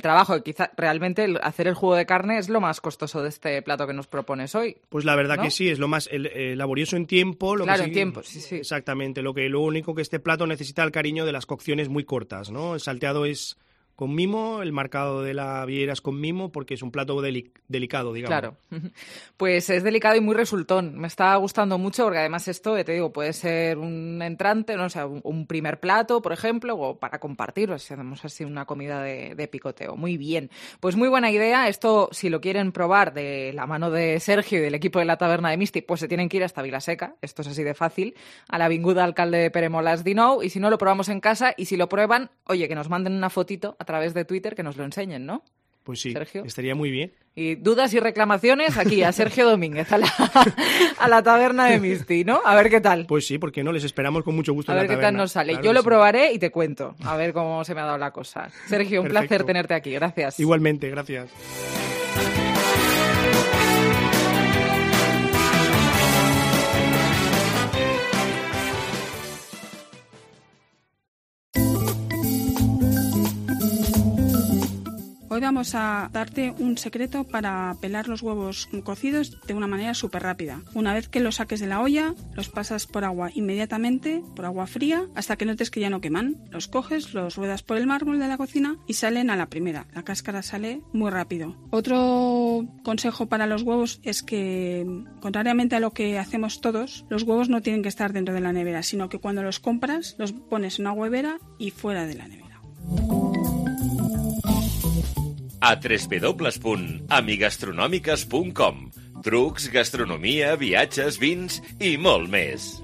trabajo. Y quizá realmente hacer el jugo de carne es lo más costoso de este plato que nos propones hoy. Pues la verdad, ¿no?, que sí, es lo más laborioso en tiempo. Claro, en tiempo, sí. Exactamente, lo único que este plato necesita el cariño de las cocciones muy cortas, ¿no? El salteado es con mimo, el marcado de la viera es con mimo, porque es un plato delicado, digamos. Claro, pues es delicado y muy resultón. Me está gustando mucho porque además esto, te digo, puede ser un entrante, no, o sea, un primer plato, por ejemplo, o para compartirlo, si hacemos así una comida de picoteo. Muy bien, pues muy buena idea. Esto, si lo quieren probar de la mano de Sergio y del equipo de la Taberna de Misti, pues se tienen que ir hasta Vilaseca, esto es así de fácil, a l'Avinguda Alcalde de Pere Molas 19, y si no, lo probamos en casa, y si lo prueban, oye, que nos manden una fotito a través de Twitter, que nos lo enseñen, ¿no? Pues sí, Sergio, estaría muy bien. Y dudas y reclamaciones aquí a Sergio Domínguez, a la Taberna de Misti, ¿no? A ver qué tal. Pues sí, porque no, les esperamos con mucho gusto en la taberna. A ver qué tal nos sale. Claro, yo lo probaré y te cuento, a ver cómo se me ha dado la cosa. Sergio, un placer tenerte aquí, gracias. Igualmente, gracias. Hoy vamos a darte un secreto para pelar los huevos cocidos de una manera súper rápida. Una vez que los saques de la olla, los pasas por agua inmediatamente, por agua fría, hasta que notes que ya no queman. Los coges, los ruedas por el mármol de la cocina y salen a la primera. La cáscara sale muy rápido. Otro consejo para los huevos es que, contrariamente a lo que hacemos todos, los huevos no tienen que estar dentro de la nevera, sino que cuando los compras, los pones en una huevera y fuera de la nevera. A www.amigastronòmiques.com. Trucs, gastronomia, viatges, vins i molt més.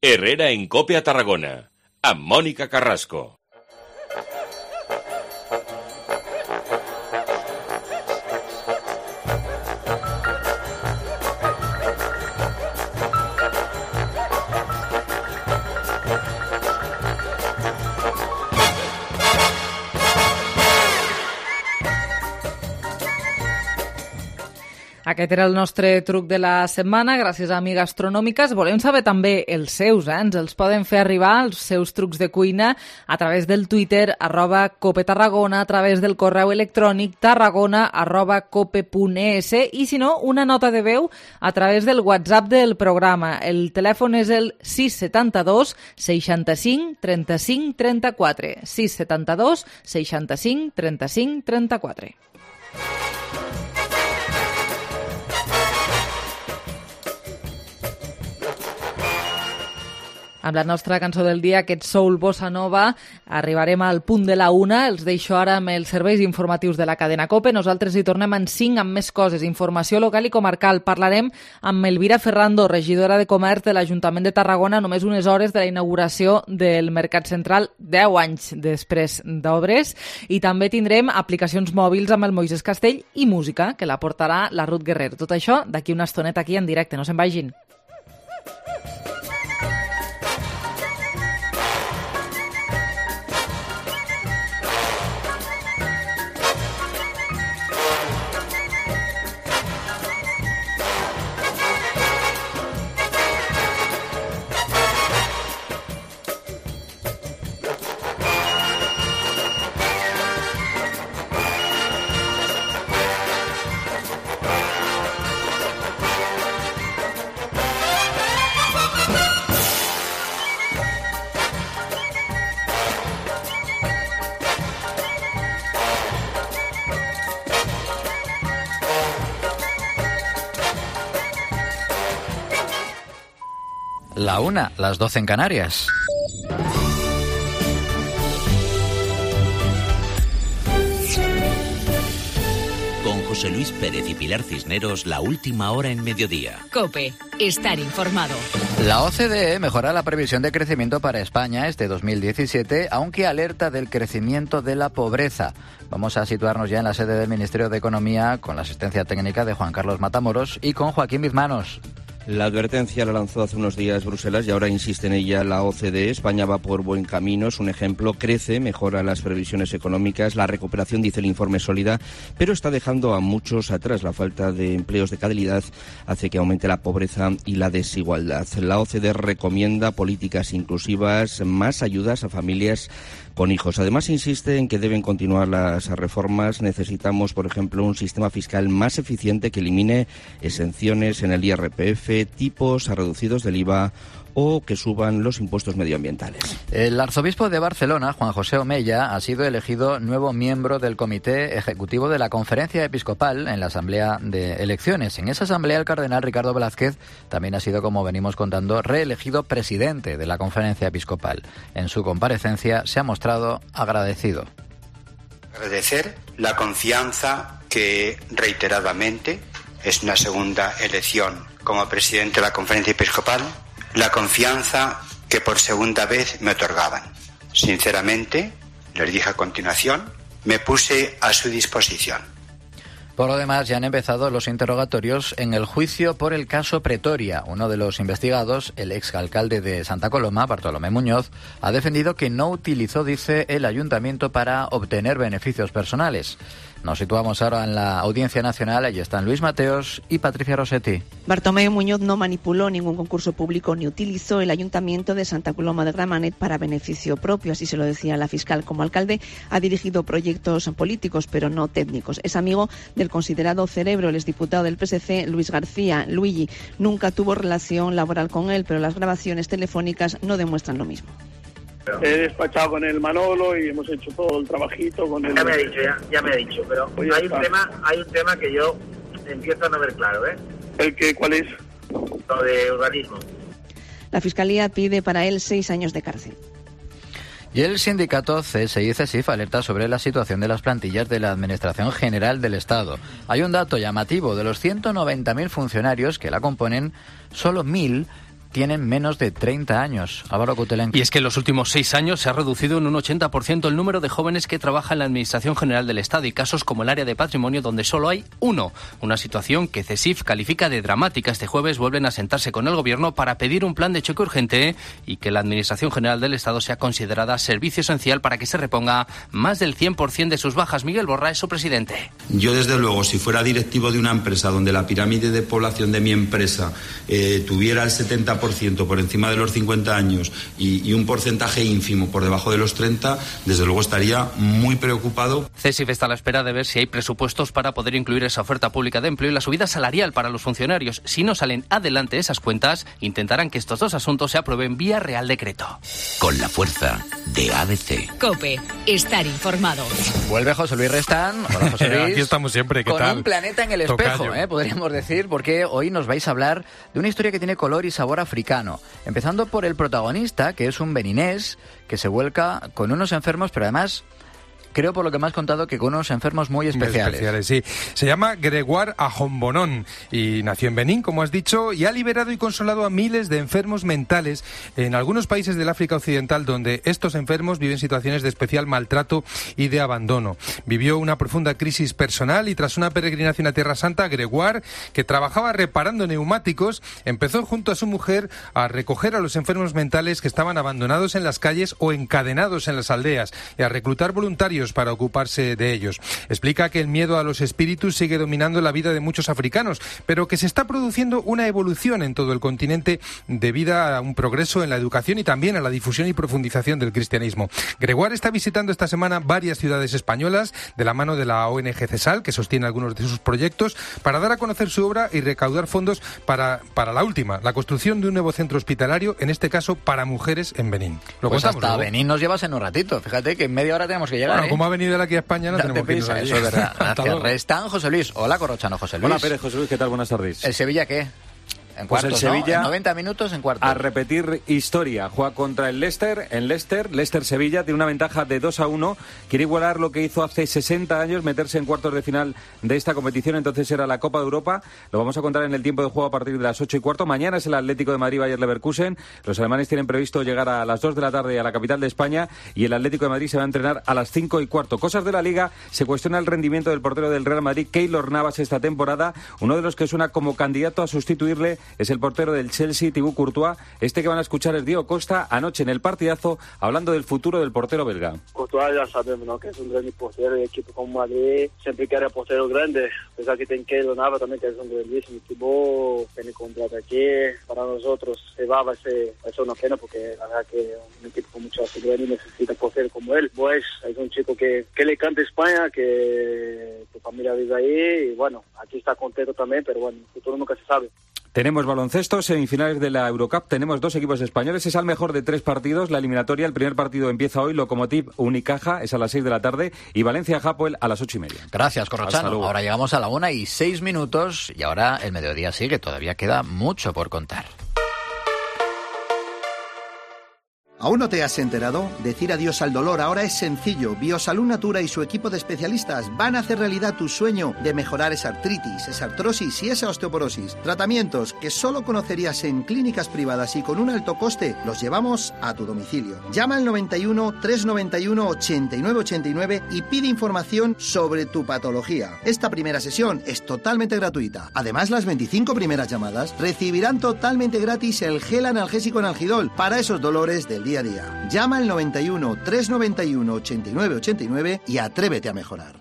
Herrera en Cope a Tarragona, amb Mònica Carrasco. Aquest era el nostre truc de la setmana, gràcies a Amics Gastronòmiques. Volem saber també els seus, ens els poden fer arribar, els seus trucs de cuina, a través del Twitter, @copetarragona, a través del correu electrònic tarragona@cope.es, i si no, una nota de veu a través del WhatsApp del programa. El telèfon és el 672 65 35 34. 672 65 35 34. Amb la nostra cançó del dia, aquest soul bossa nova, arribarem al punt de la 1. Els deixo ara amb els serveis informatius de la cadena COPE. Nosaltres hi tornem en 5 amb més coses. Informació local i comarcal. Parlarem amb Elvira Ferrando, regidora de Comerç de l'Ajuntament de Tarragona, només unes hores de la inauguració del Mercat Central, 10 anys després d'obres. I també tindrem aplicacions mòbils amb el Moisés Castell i música, que la portarà la Ruth Guerrer. Tot això d'aquí una estoneta aquí en directe. No se'n vagin. La 1, las 12 en Canarias. Con José Luis Pérez y Pilar Cisneros, la última hora en mediodía. COPE, estar informado. La OCDE mejora la previsión de crecimiento para España este 2017, aunque alerta del crecimiento de la pobreza. Vamos a situarnos ya en la sede del Ministerio de Economía con la asistencia técnica de Juan Carlos Matamoros y con Joaquín Bizmanos. La advertencia la lanzó hace unos días Bruselas y ahora insiste en ella la OCDE. España va por buen camino, es un ejemplo, crece, mejora las previsiones económicas, la recuperación, dice el informe, sólida, pero está dejando a muchos atrás. La falta de empleos de calidad hace que aumente la pobreza y la desigualdad. La OCDE recomienda políticas inclusivas, más ayudas a familias con hijos. Además, insiste en que deben continuar las reformas. Necesitamos, por ejemplo, un sistema fiscal más eficiente que elimine exenciones en el IRPF, tipos reducidos del IVA o que suban los impuestos medioambientales. El arzobispo de Barcelona, Juan José Omeya, ha sido elegido nuevo miembro del Comité Ejecutivo de la Conferencia Episcopal en la Asamblea de Elecciones. En esa asamblea, el cardenal Ricardo Blázquez también ha sido, como venimos contando, reelegido presidente de la Conferencia Episcopal. En su comparecencia se ha mostrado agradecido. Agradecer la confianza que reiteradamente, es una segunda elección como presidente de la Conferencia Episcopal, la confianza que por segunda vez me otorgaban. Sinceramente, les dije a continuación, me puse a su disposición. Por lo demás, ya han empezado los interrogatorios en el juicio por el caso Pretoria. Uno de los investigados, el exalcalde de Santa Coloma, Bartolomé Muñoz, ha defendido que no utilizó, dice, el ayuntamiento para obtener beneficios personales. Nos situamos ahora en la Audiencia Nacional. Allí están Luis Mateos y Patricia Rossetti. Bartomeu Muñoz no manipuló ningún concurso público ni utilizó el Ayuntamiento de Santa Coloma de Gramenet para beneficio propio, así se lo decía la fiscal. Como alcalde ha dirigido proyectos políticos, pero no técnicos. Es amigo del considerado cerebro, el exdiputado del PSC, Luis García. Luigi nunca tuvo relación laboral con él, pero las grabaciones telefónicas no demuestran lo mismo. He despachado con el Manolo y hemos hecho todo el trabajito con él. Ya me ha dicho, pero pues hay un tema que yo empiezo a no ver claro, ¿eh? ¿El qué? ¿Cuál es? Lo de urbanismo. La Fiscalía pide para él 6 años de cárcel. Y el sindicato CSI y CESIF alerta sobre la situación de las plantillas de la Administración General del Estado. Hay un dato llamativo: de los 190.000 funcionarios que la componen, solo 1.000 tienen menos de 30 años. Álvaro Kutelenko. Y es que en los últimos 6 años se ha reducido en un 80% el número de jóvenes que trabajan en la Administración General del Estado, y casos como el área de patrimonio, donde solo hay uno. Una situación que CESIF califica de dramática. Este jueves vuelven a sentarse con el Gobierno para pedir un plan de choque urgente y que la Administración General del Estado sea considerada servicio esencial para que se reponga más del 100% de sus bajas. Miguel Borra es su presidente. Yo, desde luego, si fuera directivo de una empresa donde la pirámide de población de mi empresa tuviera el 70% por encima de los 50 años y un porcentaje ínfimo por debajo de los 30, desde luego estaría muy preocupado. CESIF está a la espera de ver si hay presupuestos para poder incluir esa oferta pública de empleo y la subida salarial para los funcionarios. Si no salen adelante esas cuentas, intentarán que estos dos asuntos se aprueben vía Real Decreto. Con la fuerza de ABC. COPE, estar informado. Vuelve José Luis Restán. Hola, José Luis. Aquí estamos siempre, ¿qué con tal? Un planeta en el espejo, podríamos decir, porque hoy nos vais a hablar de una historia que tiene color y sabor africano. Empezando por el protagonista, que es un beninés que se vuelca con unos enfermos, pero además, creo por lo que me has contado, que con unos enfermos muy especiales. Sí. Se llama Gregoire Ahombonon y nació en Benín, como has dicho, y ha liberado y consolado a miles de enfermos mentales en algunos países del África Occidental, donde estos enfermos viven situaciones de especial maltrato y de abandono. Vivió una profunda crisis personal y tras una peregrinación a Tierra Santa, Gregoire, que trabajaba reparando neumáticos, empezó junto a su mujer a recoger a los enfermos mentales que estaban abandonados en las calles o encadenados en las aldeas y a reclutar voluntarios para ocuparse de ellos. Explica que el miedo a los espíritus sigue dominando la vida de muchos africanos, pero que se está produciendo una evolución en todo el continente debido a un progreso en la educación y también a la difusión y profundización del cristianismo. Gregoire está visitando esta semana varias ciudades españolas de la mano de la ONG CESAL, que sostiene algunos de sus proyectos, para dar a conocer su obra y recaudar fondos para la última, la construcción de un nuevo centro hospitalario, en este caso para mujeres en Benín. Lo pues contamos, hasta Benín nos llevas en un ratito. Fíjate que en media hora tenemos que llegar. Como ha venido él aquí a España, no tenemos que irnos allí. Eso es verdad. Gracias. Restán José Luis. Hola, Corrochano, José Luis. Hola, Pérez, José Luis, ¿qué tal? Buenas tardes. ¿El Sevilla qué? En pues cuartos, el Sevilla, ¿no? En 90 minutos en cuartos. A repetir historia. Juega contra el Leicester. En Leicester-Sevilla tiene una ventaja de 2-1. Quiere igualar lo que hizo hace 60 años, meterse en cuartos de final de esta competición. Entonces era la Copa de Europa. Lo vamos a contar en el tiempo de juego a partir de las 8:15. Mañana es el Atlético de Madrid Bayer Leverkusen. Los alemanes tienen previsto llegar a las 2 de la tarde a la capital de España y el Atlético de Madrid se va a entrenar a las 5:15. Cosas de la Liga. Se cuestiona el rendimiento del portero del Real Madrid, Keylor Navas, esta temporada. Uno de los que suena como candidato a sustituirle es el portero del Chelsea, Thibaut Courtois. Este que van a escuchar es Diego Costa anoche en el partidazo hablando del futuro del portero belga. Courtois ya sabemos, ¿no?, que es un gran portero, y equipo como Madrid siempre quiere portero grande, a pesar que tiene Keylor Navas también, que es un grandísimo. Thibaut tiene contrato aquí, para nosotros se va a ser una pena, porque la verdad que un equipo con mucha seguridad necesita portero como él. Pues es un chico que le canta España, que tu familia vive ahí, y bueno, aquí está contento también, pero bueno, el futuro nunca se sabe. Tenemos baloncesto, semifinales de la Eurocup, tenemos 2 equipos españoles, es al mejor de 3 partidos, la eliminatoria, el primer partido empieza hoy, Lokomotiv Unicaja, es a las 6 de la tarde, y Valencia-Hapoel a las 8:30. Gracias, Corrochano. Ahora llegamos a la 1:06, y ahora el mediodía sigue, todavía queda mucho por contar. ¿Aún no te has enterado? Decir adiós al dolor ahora es sencillo. Biosalud Natura y su equipo de especialistas van a hacer realidad tu sueño de mejorar esa artritis, esa artrosis y esa osteoporosis. Tratamientos que solo conocerías en clínicas privadas y con un alto coste los llevamos a tu domicilio. Llama al 91 391 89 89 y pide información sobre tu patología. Esta primera sesión es totalmente gratuita. Además, las 25 primeras llamadas recibirán totalmente gratis el gel analgésico Analgidol para esos dolores del día a día. Llama al 91 391 89 89 y atrévete a mejorar.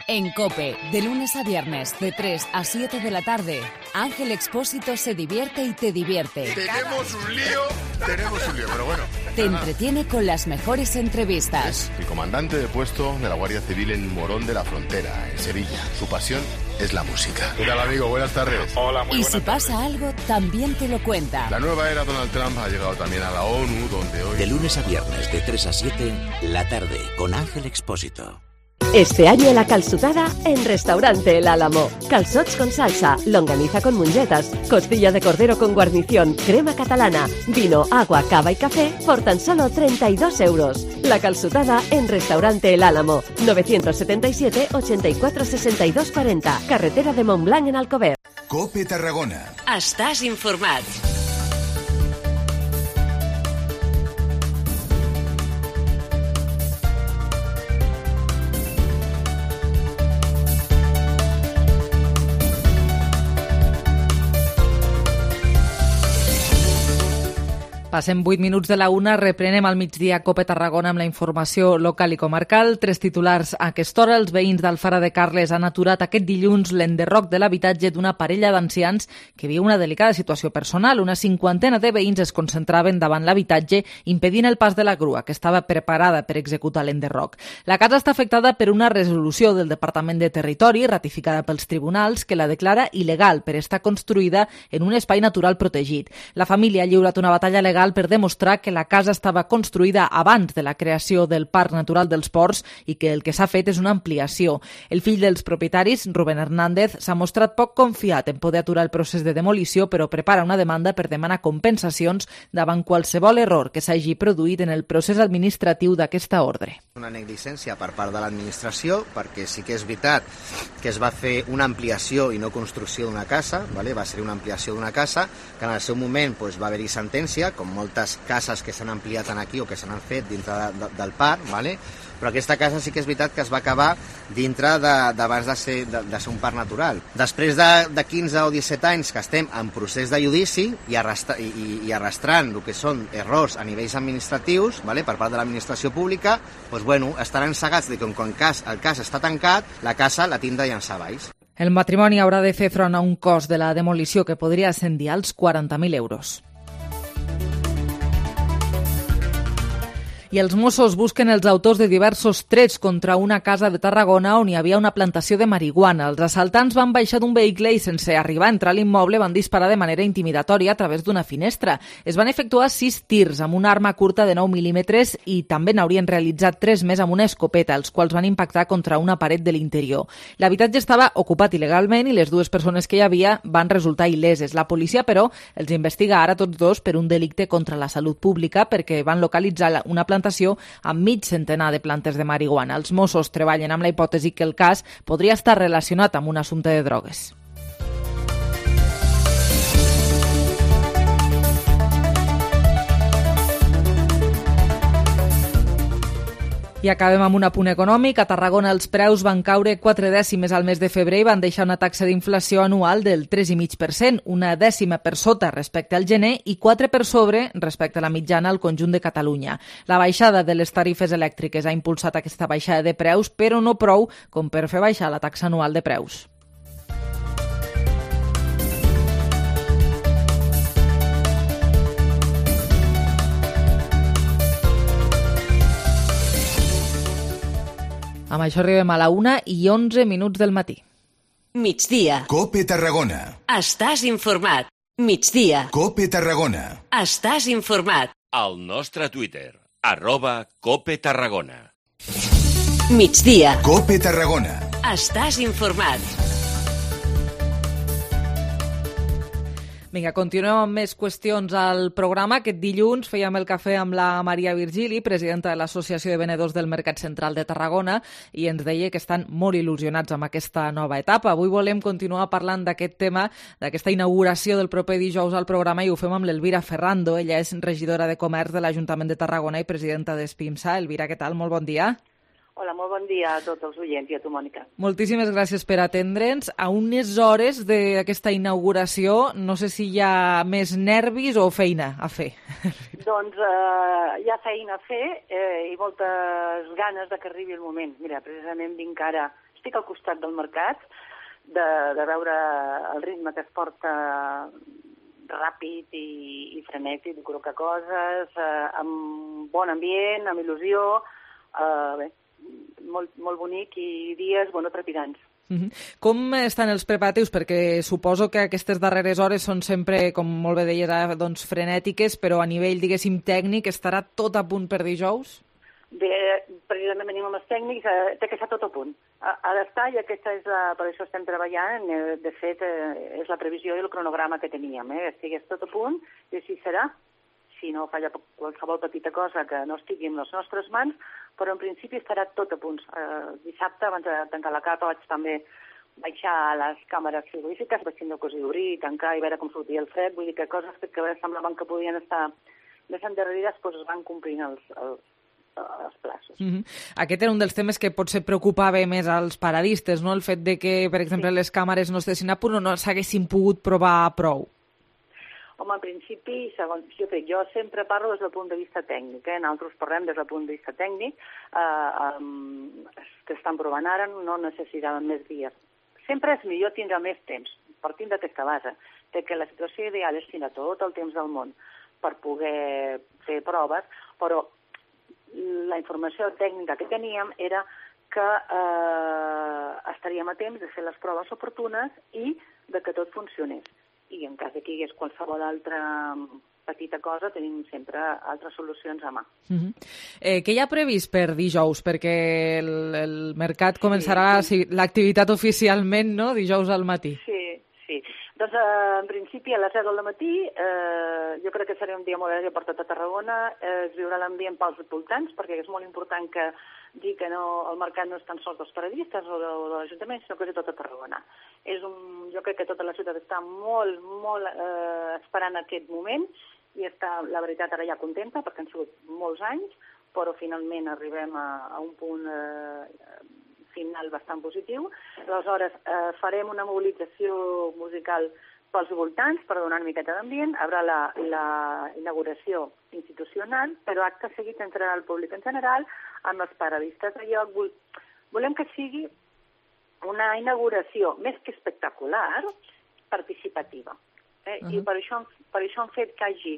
En COPE, de lunes a viernes, de 3 a 7 de la tarde, Ángel Expósito se divierte y te divierte. Tenemos un lío, pero bueno. Te entretiene con las mejores entrevistas. Es el comandante de puesto de la Guardia Civil en Morón de la Frontera, en Sevilla. Su pasión es la música. ¿Qué tal, amigo? Buenas tardes. Hola, muy y buenas si pasa tardes. algo, también te lo cuenta. La nueva era Donald Trump ha llegado también a la ONU, donde hoy... De lunes a viernes, de 3 a 7, la tarde, con Ángel Expósito. Este año la calçotada en Restaurante El Álamo. Calçots con salsa, longaniza con mongetas, costilla de cordero con guarnición, crema catalana, vino, agua, cava y café por tan solo 32 euros. La calçotada en Restaurante El Álamo. 977 84 62 40. Carretera de Montblanc en Alcover. COPE Tarragona. Estàs informat. Passem 8 minuts de la 1, reprenem al migdia COPE Tarragona amb la informació local i comarcal. 3 titulars a aquesta hora. Els veïns d'Alfara de Carles han aturat aquest dilluns l'enderroc de l'habitatge d'una parella d'ancians que viu una delicada situació personal. Una 50ena de veïns es concentraven davant l'habitatge impedint el pas de la grua, que estava preparada per executar l'enderroc. La casa està afectada per una resolució del Departament de Territori, ratificada pels tribunals, que la declara il·legal per estar construïda en un espai natural protegit. La família ha lliurat una batalla legal per demostrar que la casa estava construïda abans de la creació del Parc Natural dels Ports i que el que s'ha fet és una ampliació. El fill dels propietaris, Rubén Hernández, s'ha mostrat poc confiat en poder aturar el procés de demolició, però prepara una demanda per demanar compensacions davant qualsevol error que s'hagi produït en el procés administratiu d'aquesta ordre. Una negligència per part de l'administració, perquè sí que és veritat que es va fer una ampliació i no construcció d'una casa, ¿vale? Va ser una ampliació d'una casa, que en el seu moment pues, va haver-hi sentència, com moltes cases que s'han ampliat aquí o que s'han fet dintre del parc, ¿vale? Però aquesta casa sí que és veritat que es va acabar dintre d'abans de ser un parc natural. Després de 15 o 17 anys que estem en procés de judici i arrastrant el que són errors a nivells administratius, ¿vale? Per part de l'administració pública, doncs, bueno, estaran cegats que quan el cas està tancat, la casa la tindrà llançar baix. El matrimoni haurà de fer front a un cost de la demolició que podria ascendir als 40.000 euros. I els Mossos busquen els autors de diversos trets contra una casa de Tarragona on hi havia una plantació de marihuana. Els assaltants van baixar d'un vehicle i sense arribar a entrar a l'immoble van disparar de manera intimidatòria a través d'una finestra. Es van efectuar 6 tirs amb una arma curta de 9 mm i també n'haurien realitzat 3 més amb una escopeta, els quals van impactar contra una paret de l'interior. L'habitatge estava ocupat il·legalment i les 2 persones que hi havia van resultar il·leses. La policia, però, els investiga ara tots 2 per un delicte contra la salut pública perquè van localitzar una plantació amb mig centenar de plantes de marihuana. Els Mossos treballen amb la hipòtesi que el cas podria estar relacionat amb un assumpte de drogues. I acabem amb un apunt econòmic. A Tarragona els preus van caure 4 dècimes al mes de febrer i van deixar una taxa d'inflació anual del 3,5%, una dècima per sota respecte al gener i 4 per sobre respecte a la mitjana al conjunt de Catalunya. La baixada de les tarifes elèctriques ha impulsat aquesta baixada de preus, però no prou com per fer baixar la taxa anual de preus. Amb això arribem a la 1:11 del matí. Migdia. COPE Tarragona. Estàs informat. Migdia. COPE Tarragona. Estàs informat. Al nostre Twitter, @COPE Tarragona. Migdia. COPE Tarragona. Estàs informat. Vinga, continuem amb més qüestions al programa. Aquest dilluns fèiem el cafè amb la Maria Virgili, presidenta de l'Associació de Venedors del Mercat Central de Tarragona, i ens deia que estan molt il·lusionats amb aquesta nova etapa. Avui volem continuar parlant d'aquest tema, d'aquesta inauguració del proper dijous al programa, i ho fem amb l'Elvira Ferrando. Ella és regidora de Comerç de l'Ajuntament de Tarragona i presidenta d'Espimsa. Elvira, què tal? Molt bon dia. Hola, molt bon dia a tots els oients i a tu, Mònica. Moltíssimes gràcies per atendre'ns. A unes hores d'aquesta inauguració, no sé si hi ha més nervis o feina a fer. Doncs hi ha feina a fer i moltes ganes de que arribi el moment. Mira, precisament estic al costat del mercat, de veure el ritme que es porta ràpid i frenètic, de col·locar coses, amb bon ambient, amb il·lusió, bé, molt bonic i dies, trepidants. Com estan els preparatius? Perquè suposo que aquestes darreres hores són sempre, com molt bé deies, doncs, frenètiques, però a nivell, diguéssim, tècnic, estarà tot a punt per dijous? Bé, precisament venim amb els tècnics, té que estar tot a punt. Ha d'estar, i per això estem treballant, de fet, és la previsió i el cronograma que teníem, estigués tot a punt, i així serà. Si no falla qualsevol petita cosa que no estigui en les nostres mans, però en principi estarà tot a punt. Dissabte, abans de tancar la capa, vaig també baixar a les càmeres frigorífiques, vaig tindre que obrir i tancar i veure com sortia el fred, vull dir que coses que semblaven que podien estar més endarrerides, doncs es van complint els plaços. Aquest era un dels temes que potser preocupava més als paradistes, no? El fet de que, per exemple, les càmeres no estessin a punt o no s'haguessin pogut provar prou. Home, en principi, segons jo sempre parlo des del punt de vista tècnic, nosaltres parlem des del punt de vista tècnic, que estan provant ara, no necessitaven més dies. Sempre és millor tindre més temps, partint d'aquesta base, que la situació ideal és tindre tot el temps del món per poder fer proves, però la informació tècnica que teníem era que estaríem a temps de fer les proves oportunes i de que tot funcionés. I en cas que hi hagués qualsevol altra petita cosa, tenim sempre altres solucions a mà. Què hi ha previst per dijous? Perquè el mercat començarà l'activitat oficialment, no?, dijous al matí. Sí. Doncs, en principi, a les 10 del matí, jo crec que serà un dia molt agradable per tota Tarragona, es viurà l'ambient pels voltants, perquè és molt important que dir que el mercat no és tan sols dels paradistes o de l'Ajuntament, sinó que és de tota Tarragona. Jo crec que tota la ciutat està molt esperant aquest moment i està, la veritat, ara ja contenta, perquè han sigut molts anys, però finalment arribem a un punt final bastant positiu. Aleshores, farem una mobilització musical pels voltants per donar una miqueta d'ambient. Hi haurà la inauguració institucional, però acte seguit entrarà el públic en general amb els paradistes de lloc. Volem que sigui una inauguració més que espectacular, participativa. I per això hem fet que hi hagi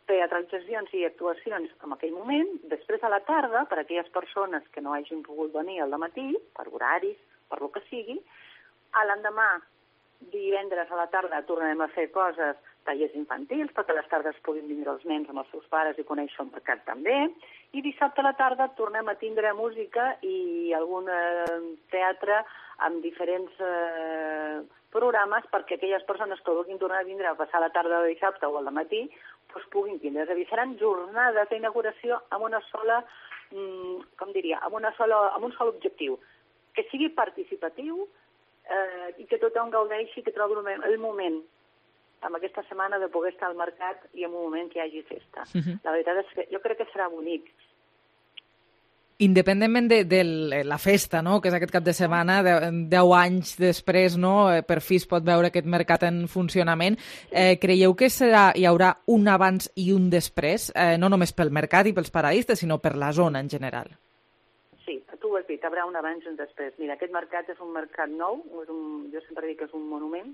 teatralitzacions i actuacions en aquell moment. Després a la tarda, per a aquelles persones que no hagin pogut venir al matí, per horaris, per lo que sigui, a l'endemà, divendres a la tarda, tornarem a fer coses, tallers infantils, perquè a les tardes puguin vindre els nens amb els seus pares i conèixer el mercat també. I dissabte a la tarda tornem a tindre música i algun teatre amb diferents programes perquè aquelles persones que vulguin tornar a vindre a passar la tarda de dissabte o al matí doncs puguin vindre. És a dir, seran jornades d'inauguració amb una sola, amb un sol objectiu, que sigui participatiu i que tothom gaudeixi, que trobi el moment amb aquesta setmana de poder estar al mercat i en un moment que hi hagi festa. La veritat és que jo crec que serà bonic. Independentment de la festa, no?, que és aquest cap de setmana, 10 anys després, no?, per fi es pot veure aquest mercat en funcionament, creieu que hi haurà un abans i un després, no només pel mercat i pels paradistes, sinó per la zona en general? Sí, tu ho has dit, hi haurà un abans i un després. Mira, aquest mercat és un mercat nou, jo sempre dic que és un monument,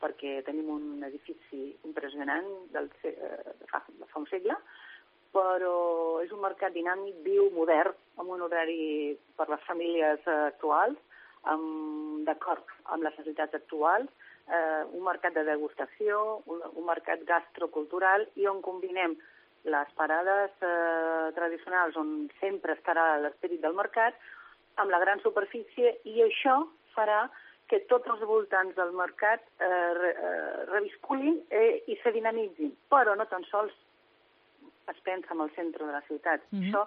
perquè tenim un edifici impressionant de fa un segle, però és un mercat dinàmic, viu, modern, amb un horari per les famílies actuals, d'acord amb les necessitats actuals, un mercat de degustació, un mercat gastrocultural i on combinem les parades tradicionals on sempre estarà l'esperit del mercat amb la gran superfície i això farà que tots els voltants del mercat revisculin i se dinamitzin, però no tan sols es pensa en el centre de la ciutat. Això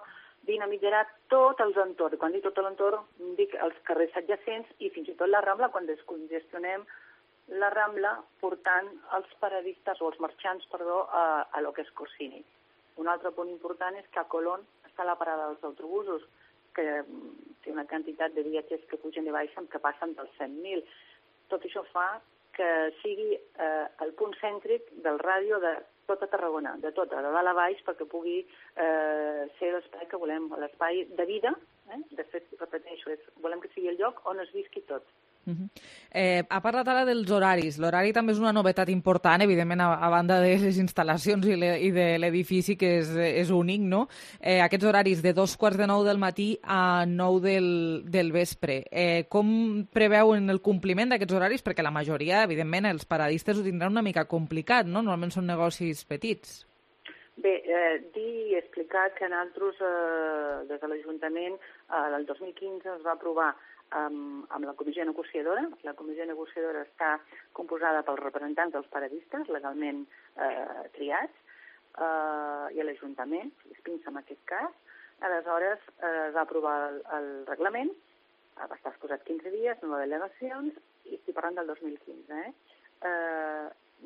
dinamitzarà tot els entorns. Quan dic tot l'entorn, dic els carrers adjacents i fins i tot la Rambla, quan descongestionem la Rambla portant els paradistes o els marxants, a lo que és Corsini. Un altre punt important és que a Colón està la parada dels autobusos, que té una quantitat de viatgers que pugen i baixen que passen dels 100.000. Tot això fa que sigui el punt cèntric del ràdio de tota Tarragona, de tota, de dalt a baix, perquè pugui ser l'espai que volem, l'espai de vida. De fet, repeteixo, volem que sigui el lloc on es visqui tot. Ha parlat ara dels horaris. L'horari també és una novetat important, evidentment, a banda de les instal·lacions i de l'edifici, que és únic, no? Aquests horaris de 8:45 del matí a 9 del vespre. Com preveuen el compliment d'aquests horaris? Perquè la majoria, evidentment, els paradistes ho tindran una mica complicat, no? Normalment són negocis petits. Bé, dir i explicar que nosaltres, des de l'Ajuntament, el 2015 es va aprovar amb la comissió negociadora. La comissió negociadora està composada pels representants dels paradistes, legalment triats, i a l'Ajuntament, Espinsa en aquest cas. Aleshores, es va aprovar el reglament, va estar exposat 15 dies, no delegacions, i estic parlant del 2015.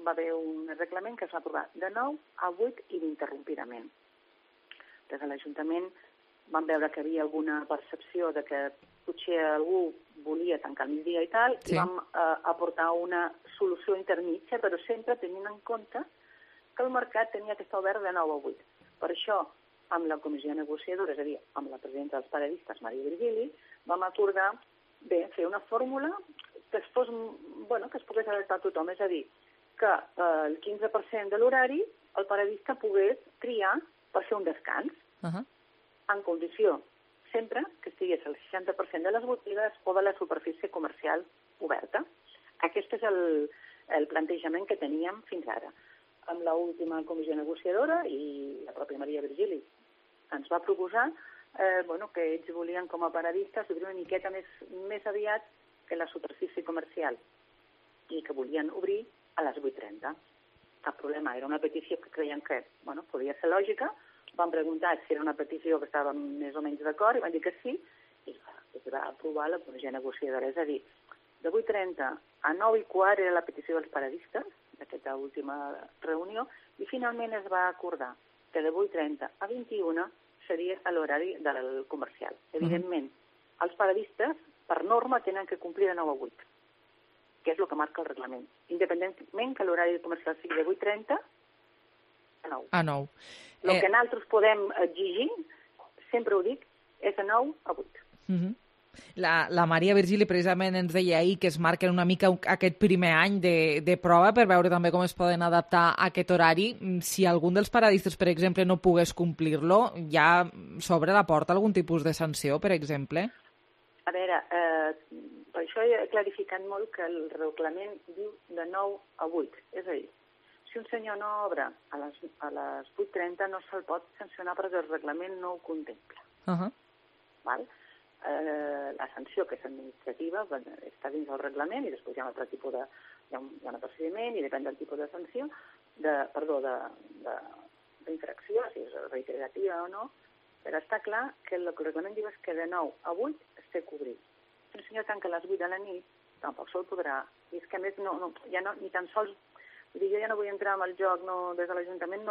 Va haver un reglament que es va aprovar de 9 a 8 ininterrompidament. Des de l'Ajuntament vam veure que hi havia alguna percepció de que potser algú volia tancar el migdia i tal, i vam aportar una solució intermitja, però sempre tenint en compte que el mercat tenia que estar obert de 9 a 8. Per això, amb la comissió negociadora, és a dir, amb la presidenta dels paradistes, Maria Virgili, vam acordar fer una fórmula que es pogués adaptar a tothom, és a dir, que el 15% de l'horari el paradista pogués triar per fer un descans, en condició sempre que estigués el 60% de les botigues o de la superfície comercial oberta. Aquest és el plantejament que teníem fins ara. Amb l'última comissió negociadora i la pròpia Maria Virgili ens va proposar que ells volien com a paradistes obrir una miqueta més aviat que la superfície comercial i que volien obrir a les 8:30. Cap problema, era una petició que creien que podia ser lògica. Vam preguntar si era una petició que estàvem més o menys d'acord i van dir que sí, i es va aprovar la comissió negociadora. És a dir, de 8:30 a 9:15 era la petició dels paradistes, d'aquesta última reunió, i finalment es va acordar que de 8:30 a 21 seria l'horari del comercial. Evidentment, els paradistes, per norma, tenen que complir de 9 a 8, que és el que marca el reglament, independentment que l'horari comercial sigui de 8:30 a 9. A 9. El que nosaltres podem exigir, sempre ho dic, és de 9 a 8. La Maria Virgili precisament ens deia ahir que es marquen una mica aquest primer any de prova per veure també com es poden adaptar a aquest horari. Si algun dels paradistes, per exemple, no pogués complir-lo, ja s'obre la porta algun tipus de sanció, per exemple? A veure, per això he clarificat molt que el reglament diu de 9 a 8. És a dir, si un senyor no obre a les 8:30 no se'l pot sancionar perquè el reglament no ho contempla. Val? La sanció, que és administrativa, està dins del reglament i després hi ha un altre tipus hi ha un procediment i depèn del tipus de sanció, d'infracció, si és reiterativa o no, però està clar que el que el reglament diu és que de 9 a 8 es té que obrir. Si un senyor tanca a les 8 de la nit, tampoc se'l podrà. I és que a més ja no, ni tan sols, jo ja no vull entrar en el joc, des de l'Ajuntament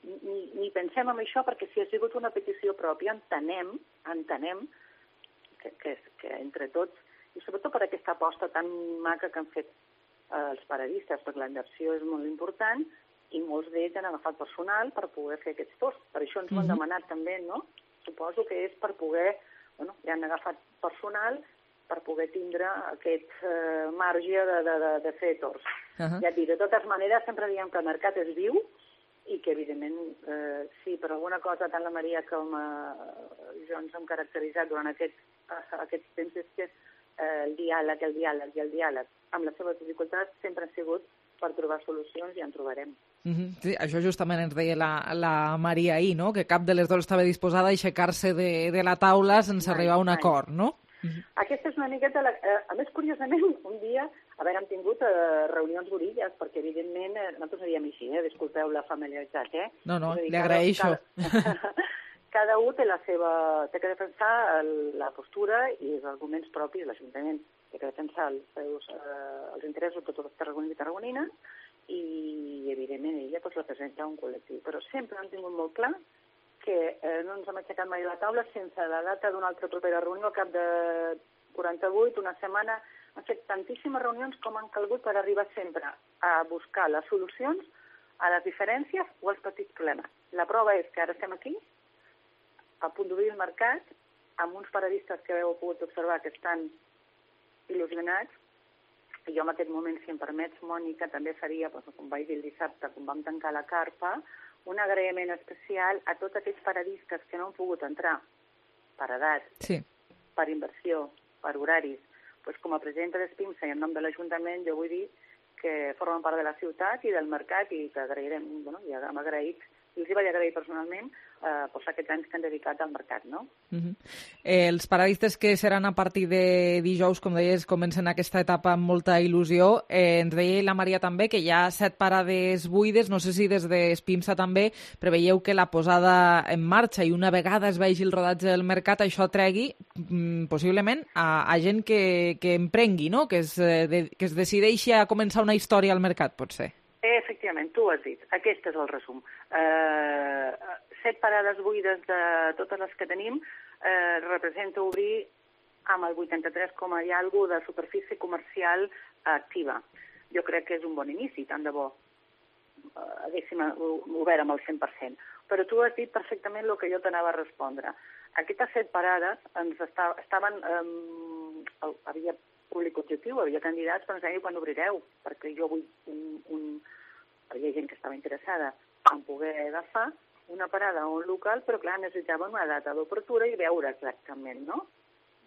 ni pensem en això, perquè si ha sigut una petició pròpia, entenem que entre tots, i sobretot per aquesta aposta tan maca que han fet els paradistes, perquè la inversió és molt important, i molts d'ells han agafat personal per poder fer aquests torns. Per això ens ho han demanat també, no? Suposo que és per poder, ja han agafat personal per poder tindre aquest marge de fer torns. Ja et dic, de totes maneres, sempre diem que el mercat és viu, i que, evidentment, si per alguna cosa tant la Maria com jo ens hem caracteritzat durant aquests temps és que el diàleg, amb les seves dificultats, sempre han sigut per trobar solucions i en trobarem. Sí, això justament ens deia la Maria ahir, no? Que cap de les dues estava disposada a aixecar-se de la taula sense arribar a un acord, no? Aquesta és una miqueta... A més, curiosament, un dia hem tingut reunions borilles, perquè, evidentment, nosaltres ho diem així, disculpeu la familiaritat, No, li agraeixo. Cada un té que defensar la postura i els arguments propis de l'Ajuntament. Té que defensar els interessos de tots els tarragonins i tarragonines i, evidentment, ella representa un col·lectiu. Però sempre han tingut molt clar que no ens hem aixecat mai a la taula sense la data d'una altra propera reunió al cap de 48, una setmana. Han fet tantíssimes reunions com han calgut per arribar sempre a buscar les solucions a les diferències o als petits problemes. La prova és que ara estem aquí, a punt d'obrir el mercat, amb uns paradistes que heu pogut observar que estan il·lusionats, i jo en aquest moment, si em permets, Mònica, també faria, com vaig dir el dissabte, quan vam tancar la carpa, un agraïment especial a tots aquells paradistes que no han pogut entrar per edat, per inversió, per horaris. Com a presidenta d'Espimsa i en nom de l'Ajuntament, jo vull dir que formen part de la ciutat i del mercat i que agrairem, ja hem agraït, i els hi vaig agrair personalment aquests anys que han dedicat al mercat, no? Els paradistes que seran a partir de dijous, com deies, comencen aquesta etapa amb molta il·lusió. Ens deia la Maria també que hi ha 7 parades buides, no sé si des d'Espimsa també preveieu que la posada en marxa i una vegada es vegi el rodatge del mercat això tregui possiblement a gent que emprengui, no? Que es decideixi a començar una història al mercat, potser. Efectivament, tu ho has dit. Aquest és el resum. 7 parades buides de totes les que tenim representa obrir amb el 83 com hi ha alguna de superfície comercial activa. Jo crec que és un bon inici, tant de bo haguéssim obert amb el 100%. Però tu has dit perfectament el que jo t'anava a respondre. Aquestes 7 parades estaven... Havia públic objectiu, havia candidats, però ens deia quan obrireu, perquè jo vull hi havia gent que estava interessada en poder agafar una parada o un local, però clar, necessitaven una data d'obertura i veure exactament, no?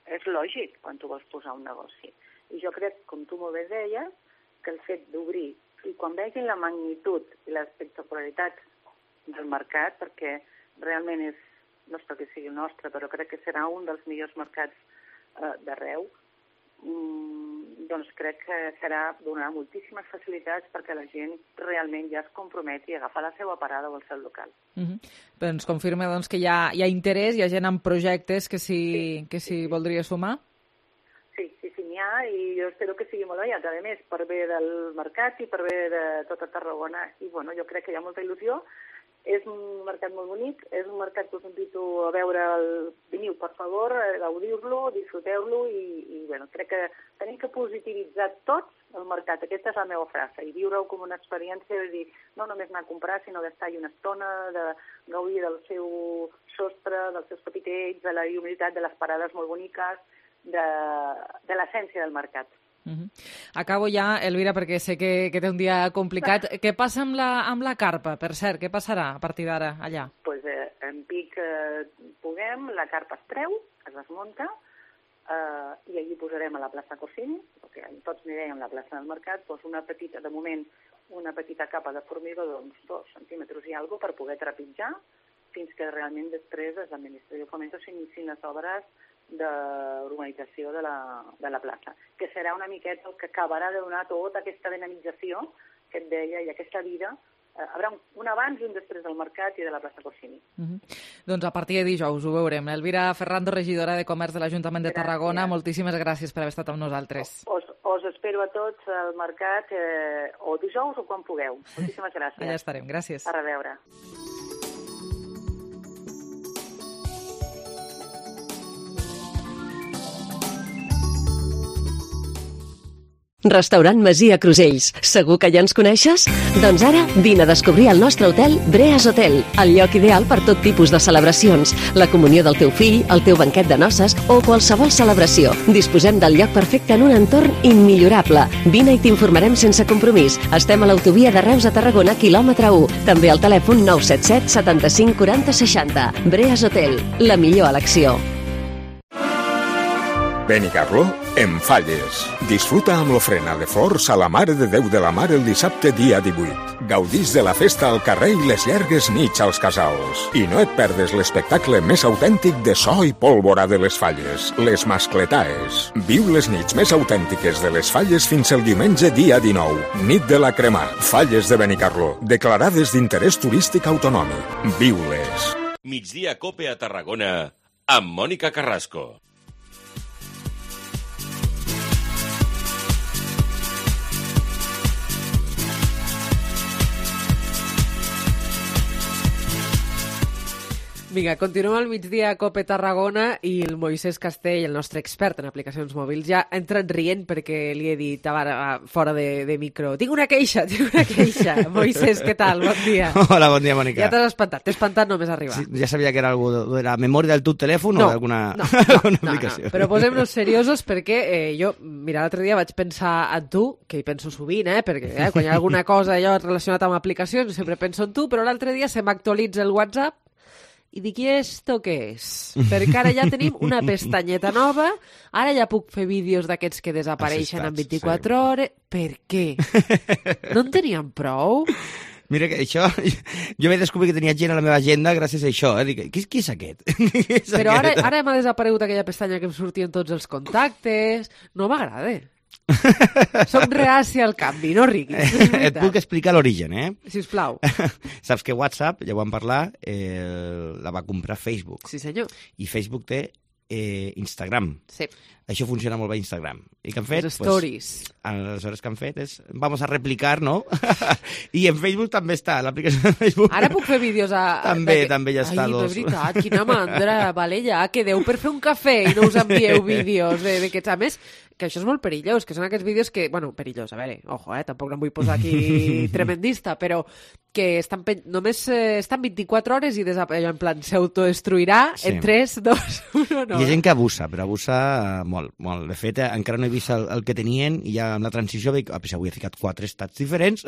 És lògic quan tu vols posar un negoci. I jo crec, com tu molt bé deies, que el fet d'obrir, i quan vegin la magnitud i l'espectacularitat del mercat, perquè realment no és perquè sigui el nostre, però crec que serà un dels millors mercats d'arreu, doncs crec que donarà moltíssimes facilitats perquè la gent realment ja es comprometi a agafar la seva parada o el seu local. Ens confirma doncs, que hi ha interès, hi ha gent amb projectes que s'hi voldria sumar? Sí, n'hi ha, i jo espero que sigui molt aviat, a més, per bé del mercat i per bé de tota Tarragona. I jo crec que hi ha molta il·lusió. És un mercat molt bonic, és un mercat que us invito a veure, veniu per favor, gaudiu-lo, disfruteu-lo i crec que tenim que positivitzar tots el mercat. Aquesta és la meva frase, i viure-ho com una experiència de dir, no només anar a comprar, sinó d'estar-hi una estona, de gaudir del seu sostre, dels seus capitells, de la humilitat de les parades molt boniques, de l'essència del mercat. Acabo ja, Elvira, perquè sé que té un dia complicat. Què passa amb la carpa, per cert? Què passarà a partir d'ara allà? Doncs en pic puguem, la carpa es treu, es desmunta, i allí posarem a la plaça Corsini, perquè tots anirem a la plaça del Mercat, una petita, de moment, una petita capa de formigó d'uns 2 centímetres i alguna per poder trepitjar, fins que realment després l'administració de Fomento s'inicien les obres d'urbanització de la plaça, que serà una miqueta el que acabarà de donar tota aquesta dinamització que et deia i aquesta vida. Hi haurà un abans i un després del mercat i de la plaça Corsini. Doncs a partir de dijous ho veurem. Elvira Ferrando, regidora de Comerç de l'Ajuntament de Tarragona, moltíssimes gràcies per haver estat amb nosaltres. Us espero a tots al mercat o dijous o quan pugueu. Moltíssimes gràcies. Allà estarem, gràcies. A reveure. Restaurant Masia Crusells. Segur que ja ens coneixes? Doncs ara vine a descobrir el nostre hotel Breas Hotel, el lloc ideal per tot tipus de celebracions, la comunió del teu fill, el teu banquet de noces o qualsevol celebració. Disposem del lloc perfecte en un entorn immillorable. Vine i t'informarem sense compromís. Estem a l'autovia de Reus a Tarragona, quilòmetre 1. També al telèfon 977 75 40 60. Breas Hotel, la millor elecció. Benicarló en Falles. Disfruta amb l'ofrena de flors a la Mare de Déu de la Mar el dissabte dia 18. Gaudís de la festa al carrer i les llargues nits als casals. I no et perdes l'espectacle més autèntic de so i pólvora de les Falles, les Mascletaes. Viu les nits més autèntiques de les Falles fins el diumenge dia 19. Nit de la Cremà. Falles de Benicarló. Declarades d'interès turístic autonòmic. Viu-les. Migdia Cope a Tarragona amb Mònica Carrasco. Vinga, continuem al migdia a Cope Tarragona i el Moisès Castell, el nostre expert en aplicacions mòbils, ja ha entrat rient perquè li he dit fora de micro. Tinc una queixa. Moisès, què tal? Bon dia. Hola, bon dia, Mònica. Ja t'has espantat. T'he espantat només arribar. Sí, ja sabia que era algo de la memòria del teu telèfon o d'alguna aplicació. Però posem-nos seriosos perquè jo, mira, l'altre dia vaig pensar en tu, que hi penso sovint, perquè quan hi ha alguna cosa allò relacionat amb aplicacions sempre penso en tu, però l'altre dia se m'actualitza el WhatsApp i dic, i esto què és? Perquè ara ja tenim una pestanyeta nova, ara ja puc fer vídeos d'aquests que desapareixen en 24 hores. Per què? No en teníem prou? Mira que això, jo vaig descobrir que tenia gent a la meva agenda gràcies a això. Dic, qui és aquest? Però ara m'ha desaparegut aquella pestanya que em sortien tots els contactes. No m'agrada. Soc reàcia al canvi, no riguis. Et puc explicar l'origen, Sisplau. Saps que WhatsApp, ja ho vam parlar, la va comprar Facebook. Sí, senyor. I Facebook té Instagram. Sí. Això funciona molt bé a Instagram. I què han fet? Les stories. Aleshores que han fet és, vamos a replicar, no? I en Facebook també està, l'aplicació de Facebook. Ara puc fer vídeos També ja està. Ai, de veritat, quina mandra. Vale, ja, quedeu per fer un cafè i no us envieu vídeos d'aquests. A més, que això és molt perillós, que són aquests vídeos que, bueno, perillós, a veure, ojo, tampoc no em vull posar aquí tremendista, però que només estan 24 hores i en plan s'autodestruirà en 3, 2, 1, no. Hi ha gent que abusa, però abusa molt. De fet, encara no he vist el que tenien i ja amb la transició veig, avui he ficat 4 estats diferents.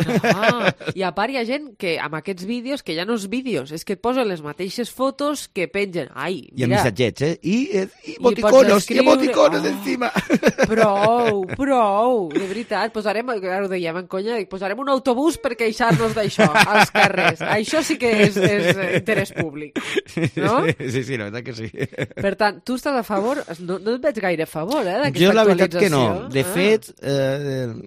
I a part hi ha gent que amb aquests vídeos, que ja no és vídeos, és que et posen les mateixes fotos que pengen. Ai, mira. I amb missatgets, I emoticonos encima. Prou, de veritat. Posarem, ara ho dèiem en conya, posarem un autobús per queixar-nos d'això als carrers. Això sí que és interès públic, no? Sí, la veritat que sí. Per tant, tu estàs a favor? No et veig gaire a favor, d'aquesta jo la veritat actualització. Que no. De fet,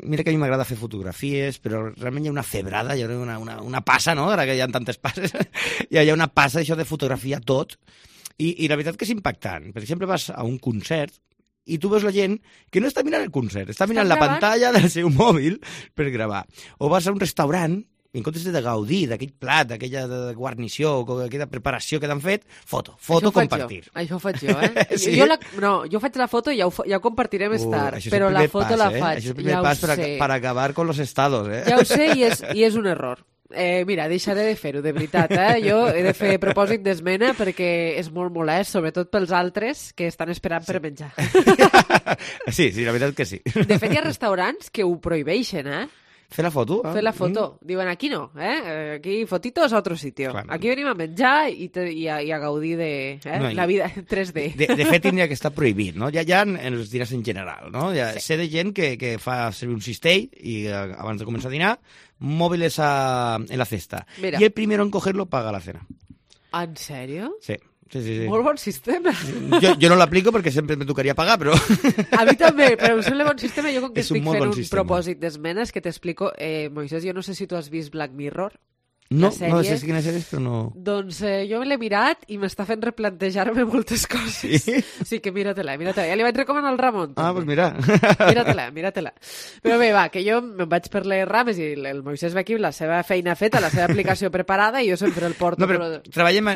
mira que a mi m'agrada fer fotografies, però realment hi ha una febrada, hi ha una passa, no? Ara que hi ha tantes passes, hi ha una passa això de fotografiar tot, i la veritat que és impactant. Per exemple, vas a un concert i tu veus la gent que no està mirant el concert, està mirant la pantalla del seu mòbil per gravar. O vas a un restaurant i en comptes de gaudir d'aquell plat, d'aquella guarnició, aquella preparació que t'han fet, foto, compartir. Això ho faig jo, Sí? Jo faig la foto i ja ho compartiré més tard, però la foto la faig. Això és el primer pas per acabar con los estados. Ja ho sé i és un error. Mira, deixaré de fer-ho, de veritat. Jo he de fer propòsit d'esmena perquè és molt molest, sobretot pels altres que estan esperant per menjar. Sí, la veritat que sí. De fet, hi ha restaurants que ho prohibeixen, Fer la foto? Fer la foto. Diuen, aquí no, aquí fotitos a otro sitio. Clar. Aquí venim a menjar i a gaudir de la vida 3D. De fet, tindria que estar prohibit, no? Ja en els dinars en general, no? Sé de gent que fa servir un cistell i abans de començar a dinar, móviles en la cesta. Mira. Y el primero en cogerlo paga la cena. ¿En serio? Sí. Molt bon sistema. Jo no l'aplico perquè sempre me tocaria pagar, però... A mi també, però em sembla bon sistema. Jo com que estic fent un sistema. propòsit d'esmenes que t'explico... Moisés, jo no sé si tu has vist Black Mirror. No sé quina sèrie és, però no... Doncs jo l'he mirat i m'està fent replantejar-me moltes coses. Sí que mira-te-la. Ja li vaig recomanar al Ramon. També. Pues mira. Mira-te-la. Però bé, va, que jo me'n vaig per les rames i el Moisés ve aquí amb la seva feina feta, la seva aplicació preparada i jo sempre el porto. No, però treballem...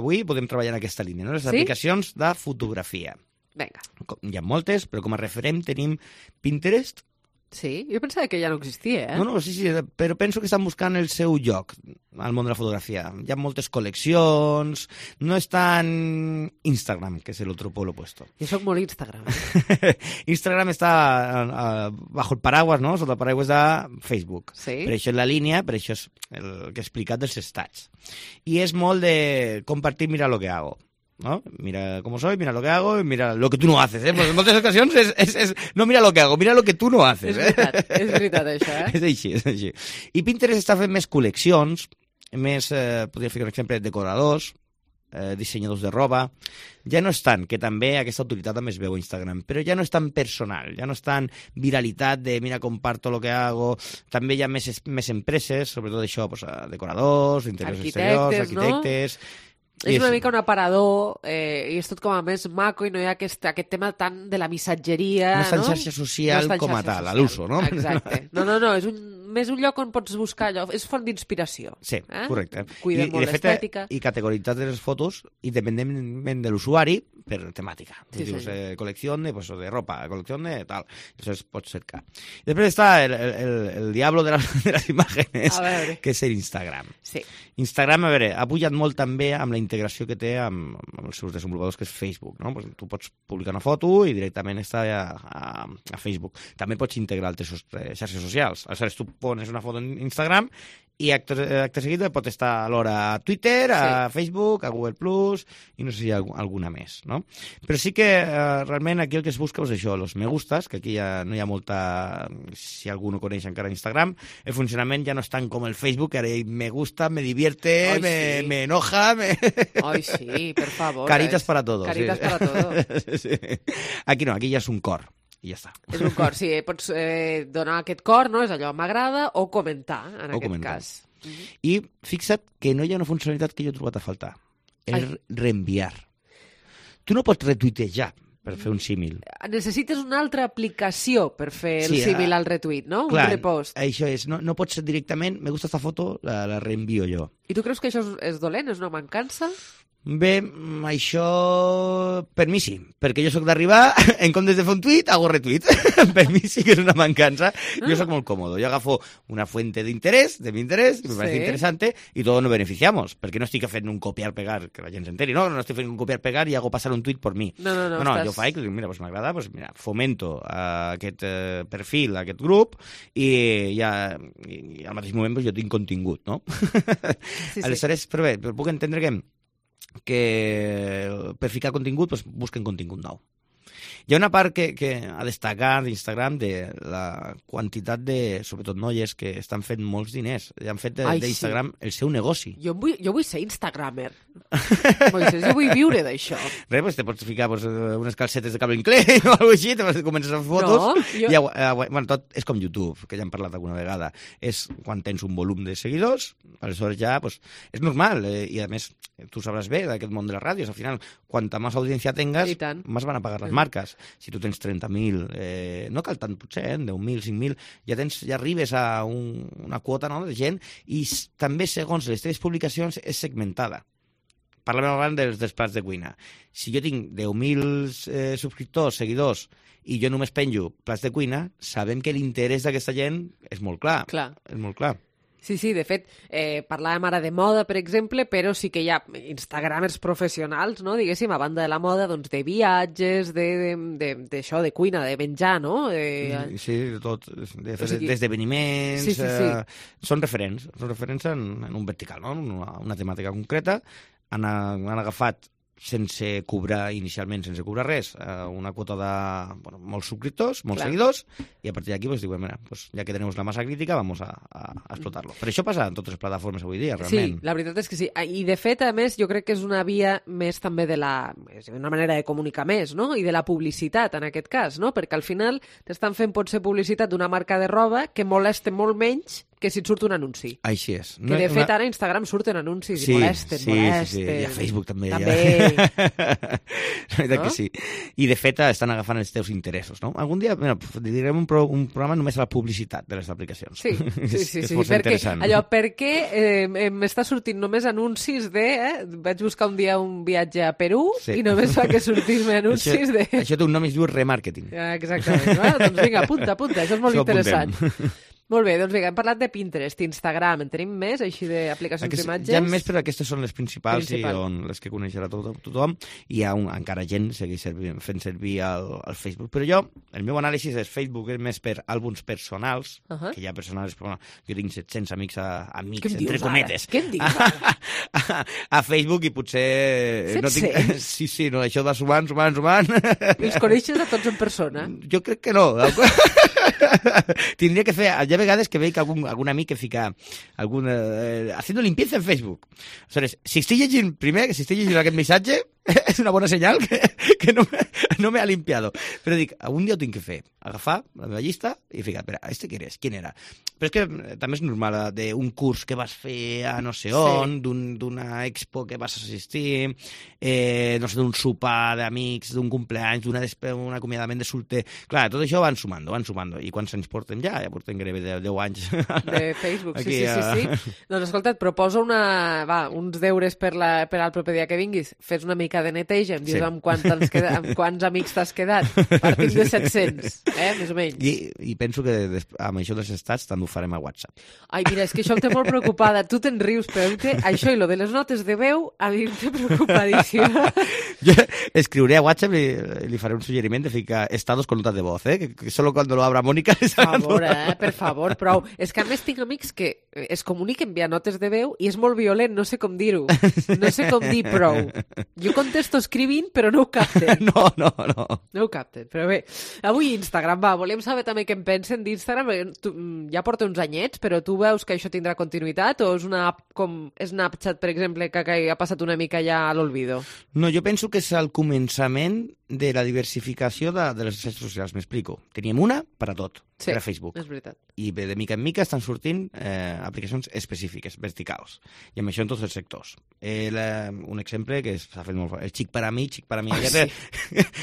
Avui podem treballar en aquesta línia, no? Les aplicacions de fotografia. Vinga. Hi ha moltes, però com a referent tenim Pinterest. Sí? Jo pensava que ja no existia, No, sí, però penso que estan buscant el seu lloc al món de la fotografia. Hi ha moltes col·leccions, no és tan Instagram, que és el otro polo opuesto. Jo soc molt Instagram. Instagram està bajo el paraguas, no? Sota el paraguas de Facebook. Sí. Per això és la línia, per això és el que he explicat dels estats. I és molt de compartir, mira lo que hago. ¿No? Mira cómo soy, mira lo que hago y mira lo que tú no haces, Pues en moltes ocasions és no mira lo que hago, mira lo que tú no haces, És veritat això, És així. I Pinterest està fent més col·leccions, més, podria fer, per exemple, decoradors, dissenyadors de roba. Ja no és tant, que també aquesta autoritat també es veu a Instagram, però ja no és tan personal, ja no és tan viralitat de mira, comparto lo que hago. També hi ha més empreses, sobretot això, decoradors, interiors exteriors, arquitectes... És una mica un aparador i és tot com a més maco i no hi ha aquest tema tant de la missatgeria, no? No és tan xarxa social com a tal, a l'uso, no? Exacte. No, és més un lloc on pots buscar allò, és font d'inspiració. Sí, correcte. Cuida molt l'estètica. I categoritzar les fotos independentment de l'usuari per temàtica. Sí, dius, col·lecció de ropa, col·lecció de tal. Això pots cercar. I després està el diablo de les imágenes, que és l'Instagram. Sí. Instagram, a veure, ha pujat molt també amb la integració que té amb els seus desenvolupadors, que és Facebook, no? Pues tu pots publicar una foto i directament està a Facebook. També pots integrar altres xarxes socials. Aleshores, tu pones una foto en Instagram i acte seguit pot estar alhora a Twitter, a Facebook, a Google+, i no sé si hi ha alguna més, no? Però sí que realment aquí el que es busca és això, los me gustas, que aquí ja no hi ha molta... Si algú no coneix encara Instagram, el funcionament ja no és tant com el Facebook, que ara me gusta, me divierte, me enoja... Ai, sí, per favor. Caritas para todo. Caritas para todo. Sí. Aquí no, aquí ja és un cor. I ja està. És un cor, sí. Pots donar aquest cor, no? És allò, m'agrada, o comentar, en aquest cas. I fixa't que no hi ha una funcionalitat que jo he trobat a faltar. El reenviar. Tu no pots retuitejar per fer un símil. Necessites una altra aplicació per fer el símil al retuit, no? Clar, un repost. Això és. No pots ser directament, me gusta esta foto, la reenvio jo. I tu creus que això és dolent? És una mancança? Bé, això per mi sí, perquè jo sóc d'arribar, en comptes de fer un tuit, hago retuit. Per mi sí que és una mancança. Jo sóc molt còmodo. Jo agafo una fuente de mi interés, me parece interesante, y todos nos beneficiamos, perquè no estic fent un copiar-pegar, que la gent s'enteri, no estic fent un copiar-pegar i hago passar un tuit per mi. No, jo faig, mira, pues m'agrada, pues mira, fomento aquest perfil, aquest grup, i al mateix moment pues, jo tinc contingut, no? Aleshores, però bé, puc entendre que per ficar contingut pues, busquen contingut nou. Hi ha una part que a destacar d'Instagram de la quantitat de, sobretot noies, que estan fent molts diners. Han fet d'Instagram el seu negoci. Jo vull ser Instagramer. Moisés, jo vull viure d'això. Res, pues, te pots ficar unes calcetes de Calvin Klein o alguna cosa així, comences a fer fotos. Bueno, tot és com YouTube, que ja hem parlat alguna vegada. És quan tens un volum de seguidors, aleshores ja pues, és normal. I a més, tu sabràs bé d'aquest món de les ràdios. Al final, quanta més audiència tengas, més van a pagar les marques. Si tu tens 30.000, no cal tant potser, 10.000, 5.000, ja arribes a una quota, no?, de gent, i també, segons les teves publicacions, és segmentada. Parlem abans dels plats de cuina. Si jo tinc 10.000 subscriptors, seguidors, i jo només penjo plats de cuina, sabem que l'interès d'aquesta gent és molt clar. És molt clar. Sí, de fet, parlàvem ara de moda, per exemple, però sí que hi ha instagramers professionals, no?, diguéssim, a banda de la moda, doncs de viatges, d'això, de cuina, de menjar, no? Sí, de tot, d'esdeveniments... Sí. Són referents en un vertical, no?, una temàtica concreta. Han agafat sense cobrar res, una quota de molts subscriptors, molts seguidors, i a partir d'aquí diuen, mira, ja que tenim la massa crítica, vamos a explotar-lo. Per això passa en totes les plataformes avui dia, realment. Sí, la veritat és que sí. I de fet, a més, jo crec que és una via més també és una manera de comunicar més, no?, i de la publicitat, en aquest cas, no?, perquè al final t'estan fent potser publicitat d'una marca de roba que molesta molt menys que si et surt un anunci. Així és. Que de fet ara a Instagram surten anuncis i molesten. Sí. I a Facebook també. No? Que sí. I de fet estan agafant els teus interessos, no? Algun dia direm un programa només a la publicitat de les aplicacions. Sí. És força interessant. Per què m'està sortint només anuncis de... Vaig buscar un dia un viatge a Perú i només fa que sortir-me anuncis de... Això té un nom i es diu remarketing. Exactament. Doncs vinga, apunta. Això és molt interessant. Molt bé, doncs vinga, hem parlat de Pinterest, Instagram, en tenim més, així d'aplicacions d'imatges? Hi ha més, però aquestes són les principals i les que coneixerà tothom. Hi ha encara gent que segueix fent servir el Facebook. Però el meu anàlisi és Facebook és més per àlbums personals, que hi ha personals, però jo tinc 700 amics, entre cometes. Què em dius? A Facebook i potser... 700? Sí, no, això va sumant. I els coneixes a tots en persona? Jo crec que no. Tindria que fer... Hi ha vegades que veig algun amic que fica haciendo limpieza en Facebook. O sigui, si estic llegint aquest missatge, és una bona senyal que no me ha limpiado. Però dic, algun dia ho tinc que fer. Agafar la meva llista i ficar, ¿quién era? Però és que també és normal d'un curs que vas fer a no sé on, d'una expo que vas assistir, no sé, d'un sopar d'amics, d'un cumpleaños, d'un acomiadament de solter. Clar, tot això van sumant. I quants anys portem ja? Ja portem gairebé 10 anys. De Facebook, sí. Doncs escolta, et proposo uns deures per al proper dia que vinguis. Fes una mica de neteja, em dius amb quants amics t'has quedat. Partim de 700, més o menys. I penso que amb això dels estats també ho farem a WhatsApp. Ai, mira, és que això em té molt preocupada. Tu te'n rius, però això i lo de les notes de veu a mi em té preocupadíssima. Jo escriuré a WhatsApp i li faré un suggeriment de ficar estados con notas de voz, que solo cuando lo abra Mónica... Per favor, prou. És que a més tinc amics que es comuniquen via notes de veu i és molt violent, no sé com dir-ho. No sé com dir prou. Jo contesto escrivint, però no ho capten. No. No ho capten, però bé. Avui Instagram, volem saber també què en pensen d'Instagram. Ja porta uns anyets, però tu veus que això tindrà continuïtat o és una app com Snapchat, per exemple, que ha passat una mica ja a l'olvido? No, jo penso que és el començament de la diversificació de les xarxes socials. M'explico. Teníem una per a tot, per a Facebook. És veritat. I de mica en mica estan sortint aplicacions específiques, verticals. I amb això en tots els sectors. Un exemple que s'ha fet molt fort. El xic per a mi,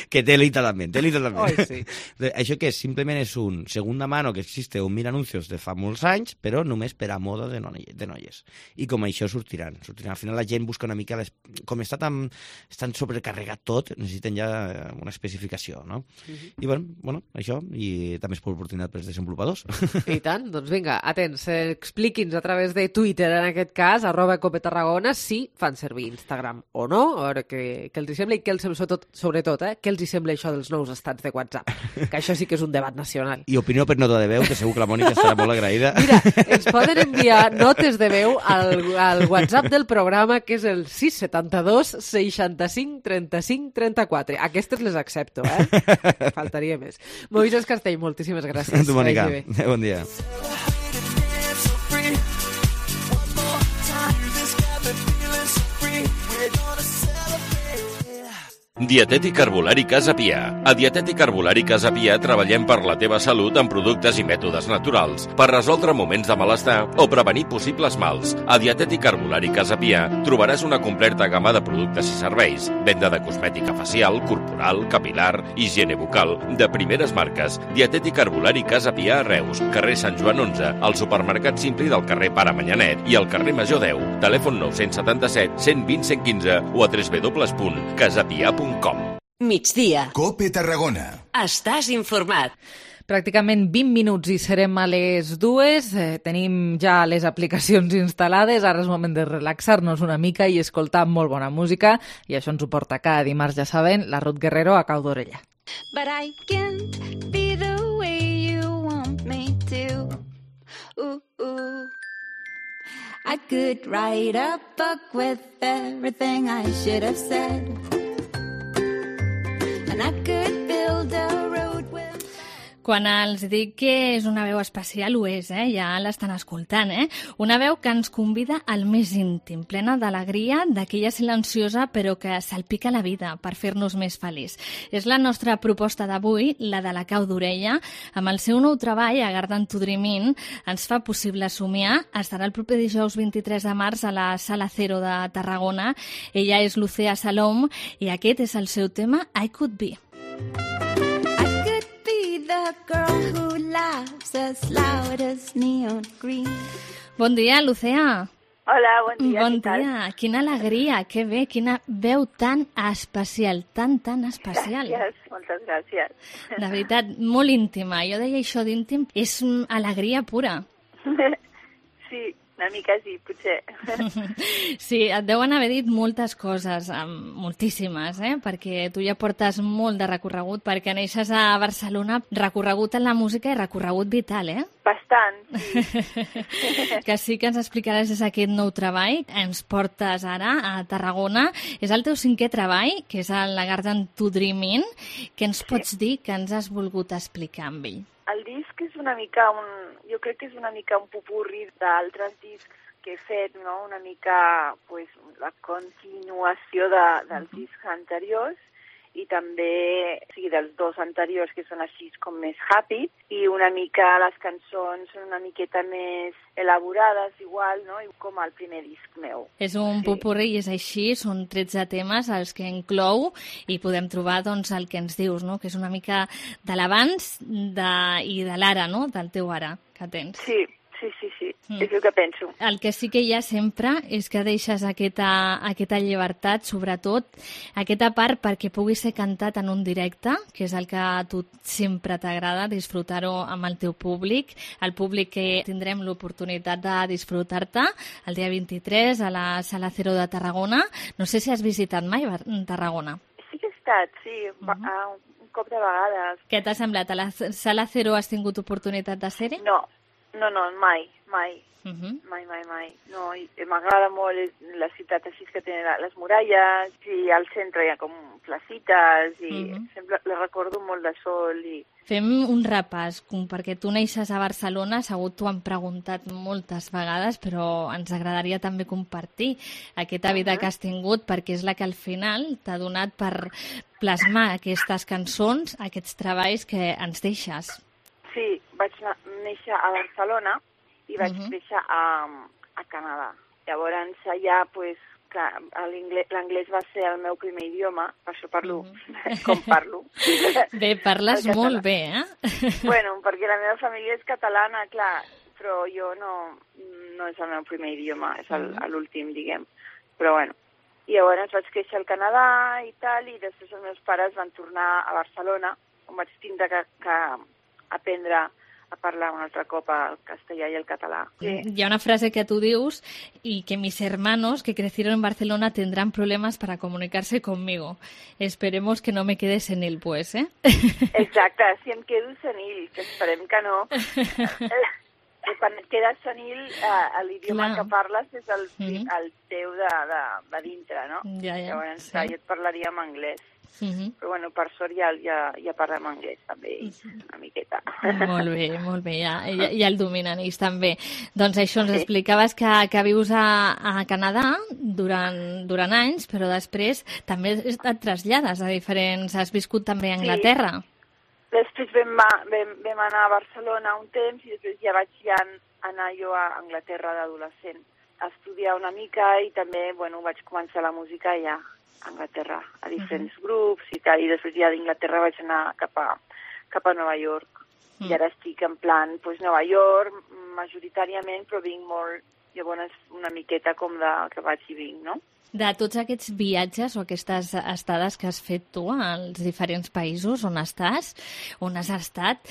que té literalment. Sí. Això que simplement és un segunda mano que existe 1.000 anuncios de fa molts anys, però només per a moda de noies. I com això sortiran. Al final la gent busca una mica... Com està tan sobrecarregat tot, necessiten ja una especificació, no? I bueno, això, i també és per oportunitat per als desenvolupadors. I tant, doncs vinga, atents, expliqui'ns a través de Twitter, en aquest cas, @copetarragona, si fan servir Instagram o no, a veure què els sembla i què els sembla, sobretot, què els sembla això dels nous estats de WhatsApp, que això sí que és un debat nacional. I opinió per nota de veu, que segur que la Mònica estarà molt agraïda. Mira, ens poden enviar notes de veu al WhatsApp del programa, que és el 672 65 35 34. Aquestes les accepto, Faltaria més. Moisés Castell, moltíssimes gràcies. Tu, Mònica. Bon dia. Dietètic Herbolari Casa Pia. A Dietètic Herbolari Casa Pia treballem per la teva salut amb productes i mètodes naturals, per resoldre moments de malestar o prevenir possibles mals. A Dietètic Herbolari Casa Pia trobaràs una completa gamma de productes i serveis, venda de cosmètica facial, corporal, capilar, higiene bucal, de primeres marques. Dietètic Herbolari Casa Pia a Reus, carrer Sant Joan 11, al supermercat Simpli del carrer Pare Manyanet i al carrer Major 10. Telèfon 977 120 115 o a www.casapia.com. Migdia. Cope Tarragona. Estàs informat. Pràcticament 20 minuts i serem a les 2. Tenim ja les aplicacions instal·lades. Ara és moment de relaxar-nos una mica i escoltar molt bona música. I això ens ho porta cada dimarts, ja saben, la Ruth Guerrero a cau d'orella. But I can't be the way you want me to. Ooh, ooh. I could write a book with everything I should have said. And I could build a road with... Quan els dic que és una veu especial, ho és, ja l'estan escoltant, Una veu que ens convida al més íntim, plena d'alegria, d'aquella silenciosa però que salpica la vida per fer-nos més feliç. És la nostra proposta d'avui, la de la cau d'orella. Amb el seu nou treball, A Garden to Dream In, ens fa possible somiar. Estarà el proper dijous 23 de març a la Sala Cero de Tarragona. Ella és Lucea Salom i aquest és el seu tema I Could Be. The girl who laughs as loud as neon green. Bon dia, Lucea. Hola, bon dia. Bon dia. Quina alegria, que bé, quina veu tan especial, tan especial. Gràcies, moltes gràcies. De veritat, molt íntima. Jo deia això d'íntim, és alegria pura. Sí, una mica sí, potser. Sí, et deuen haver dit moltes coses, moltíssimes, perquè tu ja portes molt de recorregut, perquè neixes a Barcelona, recorregut en la música i recorregut vital, Bastant, sí. Que sí que ens explicaràs aquest nou treball. Ens portes ara a Tarragona. És el teu 5è treball, que és el La Garden to Dream In. Què ens pots dir que ens has volgut explicar amb ell? El disc és una mica jo crec que és una mica un popurri d'altres discs que he fet, no? Una mica pues, la continuació dels discs anteriors i també dels 2 anteriors que són així com més happy i una mica les cançons són una miqueta més elaborades igual, no? Com el primer disc meu. És un popurri i és així, són 13 temes els que inclou i podem trobar doncs, el que ens dius, no? Que és una mica de l'abans i de l'ara, no? Del teu ara que tens. Sí. És el que penso. El que sí que hi ha sempre és que deixes aquesta llibertat, sobretot aquesta part perquè pugui ser cantat en un directe, que és el que a tu sempre t'agrada, disfrutar-ho amb el teu públic, el públic que tindrem l'oportunitat de disfrutar-te el dia 23 a la Sala Cero de Tarragona. No sé si has visitat mai Tarragona. Sí que he estat, sí, un cop de vegades. Què t'ha semblat? A la Sala Cero has tingut oportunitat de ser-hi? No, mai. Mai. No, m'agrada molt la ciutat així que té les muralles i al centre hi ha com placites i sempre la recordo molt de sol. Fem un repàs, perquè tu neixes a Barcelona, segur t'ho han preguntat moltes vegades, però ens agradaria també compartir aquesta vida que has tingut, perquè és la que al final t'ha donat per plasmar aquestes cançons, aquests treballs que ens deixes. Sí, vaig néixer a Barcelona i vaig néixer a Canadà. Llavors allà, l'anglès va ser el meu primer idioma, per això parlo com parlo. Bé, parles molt bé, Bueno, perquè la meva família és catalana, clar, però jo no és el meu primer idioma, és l'últim, diguem. Però bueno, i llavors vaig créixer al Canadà i tal, i després els meus pares van tornar a Barcelona, on vaig tindre que aprendre a parlar un altre cop el castellà i el català. Sí. Hi ha una frase que tu dius y que mis hermanos que crecieron en Barcelona tendrán problemas para comunicarse conmigo. Esperemos que no me quede senil, pues, Exacte, si em quedo senil, que esperem que no. Quan et quedes senil, l'idioma que parles és el teu de dintre, no? Ja, llavors, jo et parlaria en anglès. Però bueno, per sort ja parlem anglès també, una miqueta. Molt bé, ja el dominen ells també. Doncs això, ens explicaves que vius a Canadà durant anys, però després també et trasllades a diferents... Has viscut també a Anglaterra. Després vam anar a Barcelona un temps i després ja vaig anar jo a Anglaterra d'adolescent a estudiar una mica i també, bueno, vaig començar la música ja a Anglaterra, a diferents grups i tal, i després ja d'Inglaterra vaig anar cap a Nova York. I ara estic en plan, doncs Nova York, majoritàriament, però vinc molt, llavors una miqueta com que vaig i vinc, no? De tots aquests viatges o aquestes estades que has fet tu als diferents països on estàs, on has estat,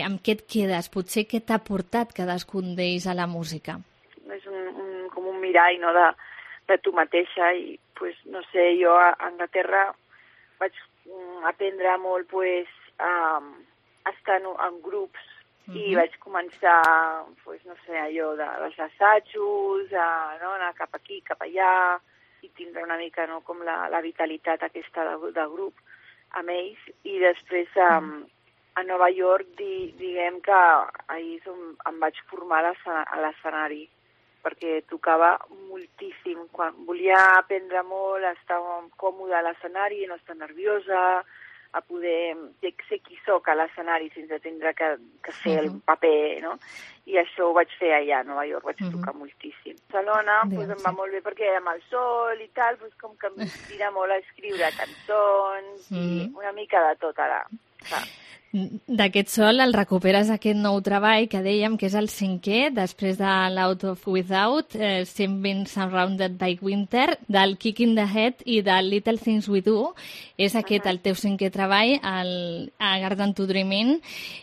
amb què et quedes? Potser què t'ha portat cadascun d'ells a la música? És com un mirall, no?, de tu mateixa i, pues, no sé, jo a Anglaterra vaig aprendre molt, pues, a estar en grups i vaig començar, pues, no sé, allò dels assajos, no, anar cap aquí, cap allà, i tindre una mica, no, com la vitalitat aquesta de grup amb ells. I després a Nova York diguem que ahir em vaig formar a l'escenari, perquè tocava moltíssim. Quan volia aprendre molt, estar còmoda a l'escenari, no estar nerviosa, a poder ser qui soc a l'escenari sense tindre que fer el paper, no? I això ho vaig fer allà a Nova York, vaig tocar moltíssim. Barcelona em va molt bé perquè amb el sol i tal, com que m'inspira molt a escriure cançons i una mica de tot ara. D'aquest sol el recuperes aquest nou treball que dèiem que és el 5è, després de l'Out of Without, Sing Been Surrounded by Winter, del Kick in the Head i del Little Things We Do. És aquest el teu 5è treball, a Garden to Dream In,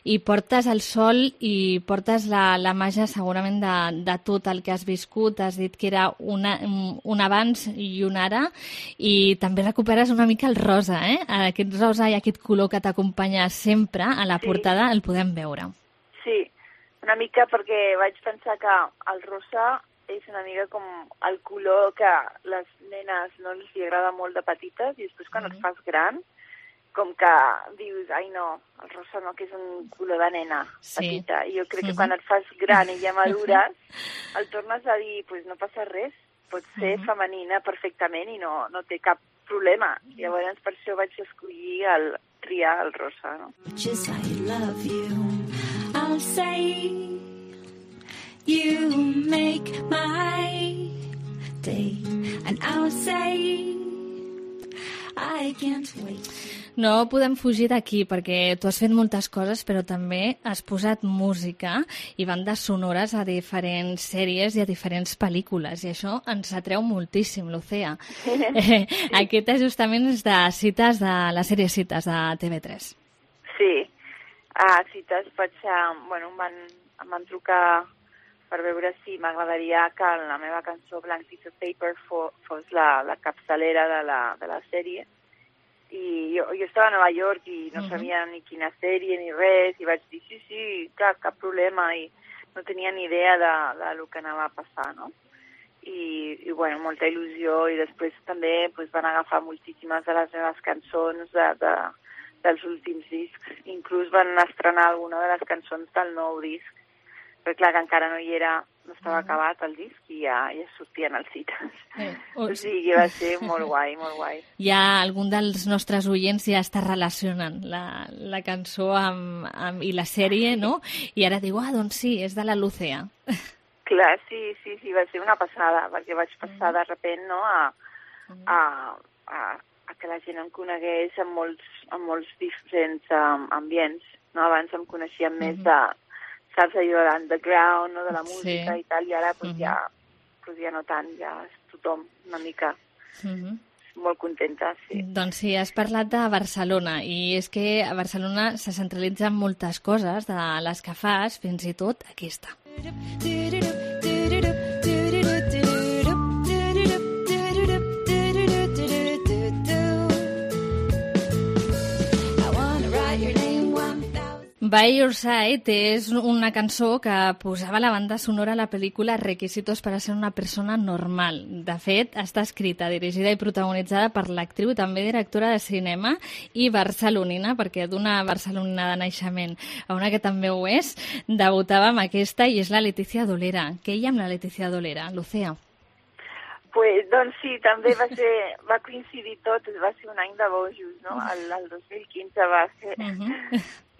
i portes el sol i portes la màgia segurament de tot el que has viscut. Has dit que era un abans i un ara, i també recuperes una mica el rosa, aquest rosa i aquest color que t'acompanya sempre a la portada, el podem veure. Sí, una mica perquè vaig pensar que el rosa és una mica com el color que les nenes no els agrada molt de petites i després quan et fas gran, com que dius, ai no, el rosa no, que és un color de nena petita. I jo crec que quan et fas gran i ja madures, el tornes a dir, pues no passa res, pot ser femenina perfectament i no té cap problema. Llavors per això vaig escollir triar el rosa, no? Just I love you, I'll say you make my day, and I'll say I can't wait. No podem fugir d'aquí perquè tu has fet moltes coses però també has posat música i bandes sonores a diferents sèries i a diferents pel·lícules i això ens atreu moltíssim, Lucía. Aquest ajustament és de Cites, de la sèrie Cites de TV3. Sí, a Cites em van trucar per veure si m'agradaria que la meva cançó Blank Piece of Paper fos la capçalera de la sèrie. I jo estava a Nova York i no sabia ni quina sèrie ni res i vaig dir sí, cap problema i no tenia ni idea de lo que anava a passar, no? I bueno, molta il·lusió i després també van agafar moltíssimes de les meves cançons dels últims discs. Inclús van estrenar alguna de les cançons del nou disc, però clar que encara no hi era, no estava acabat el disc i ja sortien els Cites. O sigui, va ser molt guai, molt guai. Ja algun dels nostres oients ja està relacionant la cançó i la sèrie, no? I ara diu, doncs sí, és de la Lucía. Clar, sí, va ser una passada, perquè vaig passar de repent, no?, a que la gent em conegués en molts diferents ambients, no? Abans em coneixien més saps, allò de l'underground, no?, de la música i tal, i ara ja no tant, ja és tothom una mica molt contenta, sí. Doncs sí, has parlat de Barcelona, i és que a Barcelona se centralitzen moltes coses de les que fas, fins i tot aquesta. By Your Side és una cançó que posava la banda sonora a la pel·lícula Requisitos para ser una persona normal. De fet, està escrita, dirigida i protagonitzada per l'actriu i també directora de cinema i barcelonina, perquè d'una barcelonina de naixement a una que també ho és, debutava amb aquesta i és la Letícia Dolera. Què hi ha amb la Letícia Dolera, Lucía? Pues, doncs sí, també va coincidir tot, va ser un any de bojos, no? El 2015 va ser.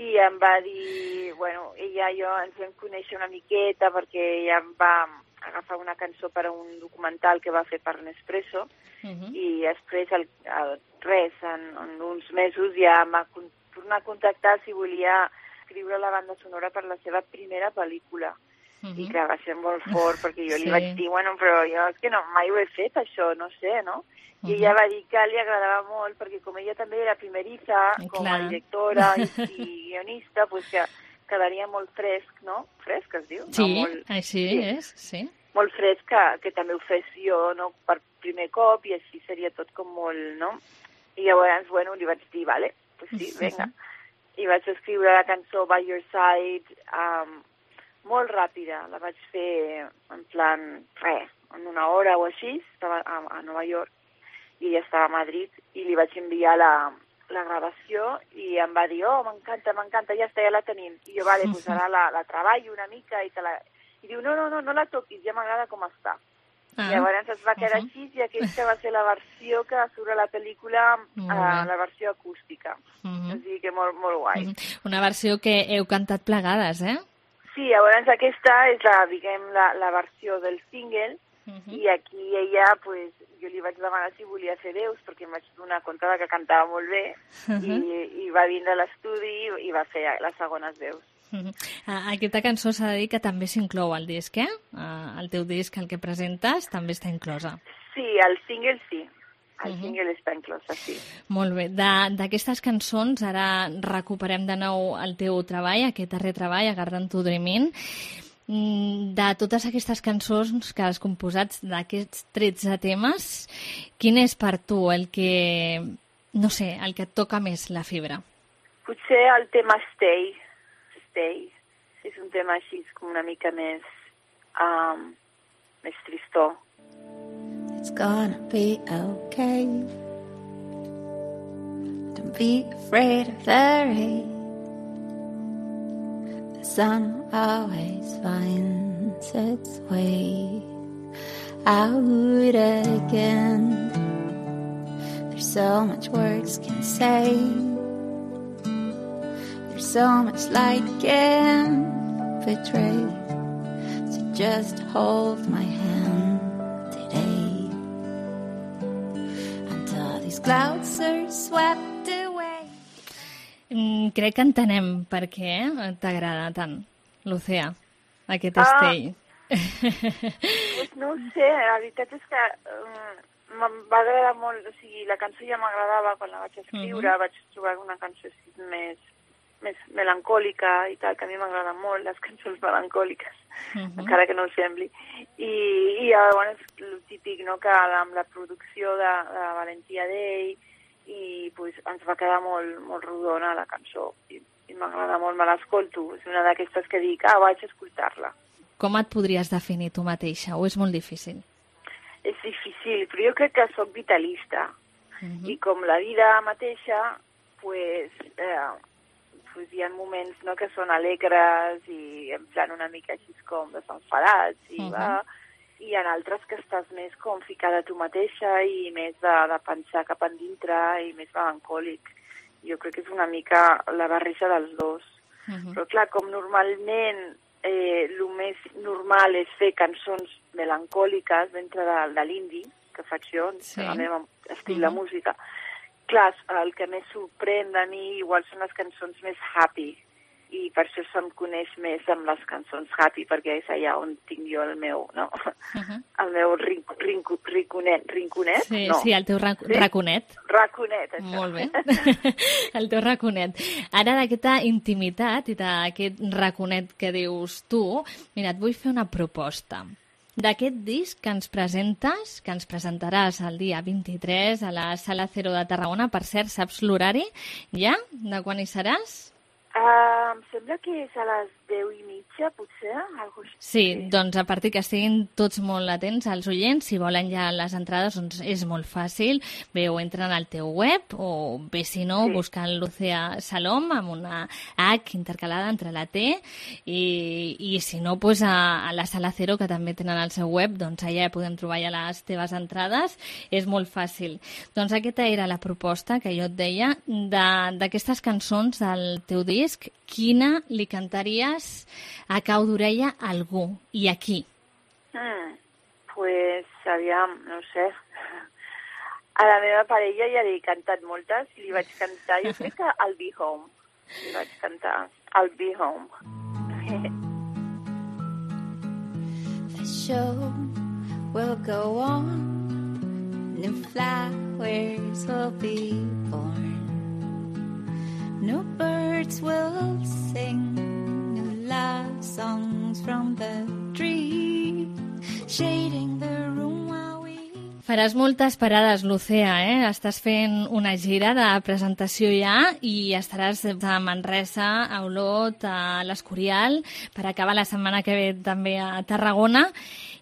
I em va dir, bueno, ella i jo ens vam conèixer una miqueta perquè ella em va agafar una cançó per a un documental que va fer per Nespresso i després, en uns mesos ja em va tornar a contactar si volia escriure la banda sonora per la seva primera pel·lícula. I clar, va ser molt fort, perquè jo li vaig dir, bueno, però jo és que mai ho he fet, això, no sé, no? I ella va dir que li agradava molt, perquè com ella també era primeriza, com a directora i guionista, pues que quedaria molt fresc, no? Fresc, es diu? Sí, no? Molt, així és, sí. Molt fresc que també ho fes jo, no? Per primer cop, i així seria tot com molt, no? I llavors, bueno, li vaig dir, vale, pues sí, venga. I vaig escriure la cançó By Your Side, molt ràpida, la vaig fer en plan, en una hora o així, estava a Nova York i ella estava a Madrid i li vaig enviar la gravació i em va dir, m'encanta, ja està, ja la tenim. I jo, vale, pues ara la treballo una mica i diu, no la toquis, ja m'agrada com està. I llavors es va quedar així i aquesta va ser la versió que surt a la pel·lícula, la versió acústica. O sigui que molt guai. Una versió que heu cantat plegades, eh? Sí, llavors aquesta és la versió del single i aquí ella, pues, jo li vaig demanar si volia fer veus perquè em vaig donar compte que cantava molt bé i va vindre a l'estudi i va fer les segones veus. Aquesta cançó s'ha de dir que també s'inclou al disc, eh? El teu disc, el que presentes, també està inclosa. Sí, el single sí. El single està inclòs, sí. Molt bé. D'aquestes cançons, ara recuperem de nou el teu treball, aquest darrer treball, A Garden to Dreamin'. De totes aquestes cançons que has composat, d'aquests 13 temes, quin és per tu el que, no sé, el que et toca més la fibra? Potser el tema Stay. És un tema així com una mica més tristó. It's gonna be okay. Don't be afraid of the rain. The sun always finds its way out again. There's so much words can say. There's so much light can betray. So just hold my hand clouds are swept away. Crec que entenem per què t'agrada tant, Lucía, aquest Stay. Pues no ho sé, la veritat és que va agradar molt, o sigui, la cançó ja m'agradava quan la vaig escriure, vaig trobar una cançó així més melancòlica i tal, que a mi m'agraden molt les cançons melancòliques, encara que no ho sembli. I llavors el típic, no?, que amb la producció de Valentia Day i pues, ens va quedar molt rodona la cançó i m'agrada molt, me l'escolto. És una d'aquestes que dic, vaig a escoltar-la. Com et podries definir tu mateixa o és molt difícil? És difícil, però jo crec que soc vitalista i com la vida mateixa, pues hi ha moments, no, que són alegres i en plan una mica així com desenfadats i hi ha altres que estàs més com ficada tu mateixa i més de pensar cap endintre i més melancòlic. Jo crec que és una mica la barreja dels dos. Però clar, com normalment el més normal és fer cançons melancòliques dintre de l'indie, que faig jo, el meu estil de música, clar, el que més sorprèn de mi igual són les cançons més happy i per això se'm coneix més amb les cançons happy perquè és allà on tinc jo el meu, no? El meu rinconet? Sí, no. Sí, el teu raconet. Raconet, això. Molt bé. El teu raconet. Ara d'aquesta intimitat i d'aquest raconet que dius tu, mira, et vull fer una proposta. D'aquest disc que ens presentes, que ens presentaràs el dia 23 a la Sala Cero de Tarragona, per cert, saps l'horari ja? De quan hi seràs? Em sembla que és a les 10:30, potser, algo així. Sí, doncs a partir que estiguin tots molt atents als oients, si volen ja les entrades, doncs és molt fàcil. Bé, o entren al teu web, o bé, si no, buscant Lucía Salom amb una H intercalada entre la T, i si no, doncs a la Sala Cero, que també tenen al seu web, doncs allà podem trobar ja les teves entrades. És molt fàcil. Doncs aquesta era la proposta que jo et deia d'aquestes cançons del teu disc. Quina li cantaries a cau d'orella a algú i a qui? Pues, aviam, no sé. A la meva parella ja li he cantat moltes i li vaig cantar, jo crec que I'll Be Home. Li vaig cantar I'll Be Home. The show will go on, new flowers will be born. New birds will sing, new love songs from the tree, shading the room while we... Faràs moltes parades, Lucía, Estàs fent una gira de presentació ja i estaràs a Manresa, a Olot, a l'Escorial, per acabar la setmana que ve també a Tarragona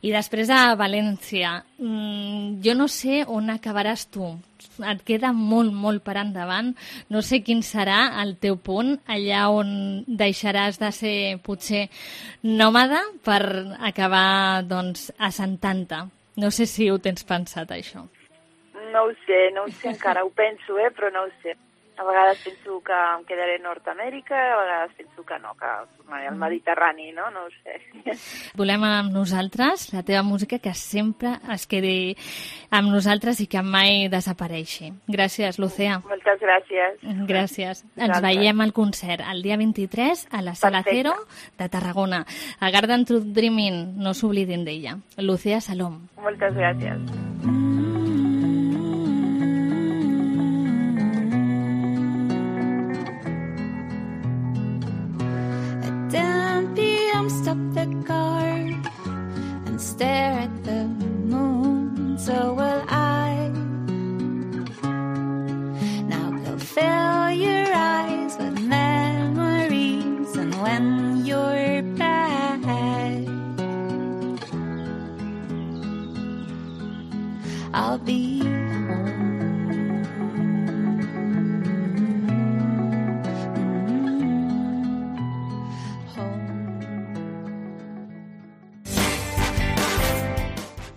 i després a València. Jo no sé on acabaràs tu. Et queda molt, molt per endavant. No sé quin serà el teu punt, allà on deixaràs de ser, potser, nòmada per acabar, doncs, assentant-te. No sé si ho tens pensat, això. No ho sé encara, ho penso, però no ho sé. A vegades penso que em quedaré a Nord-Amèrica, a vegades penso que no, que tornaré al Mediterrani, no? No ho sé. Volem amb nosaltres la teva música que sempre es quedi amb nosaltres i que mai desapareixi. Gràcies, Lucía. Moltes gràcies. Gràcies. Ens veiem al concert el dia 23 a la Sala Cero de Tarragona. A Garden Truth Dreaming, no s'oblidin d'ella. Lucía Salom. Moltes gràcies. Stop the car and stare at the moon, so will I. Now go fill your eyes with memories, and when you're back, I'll be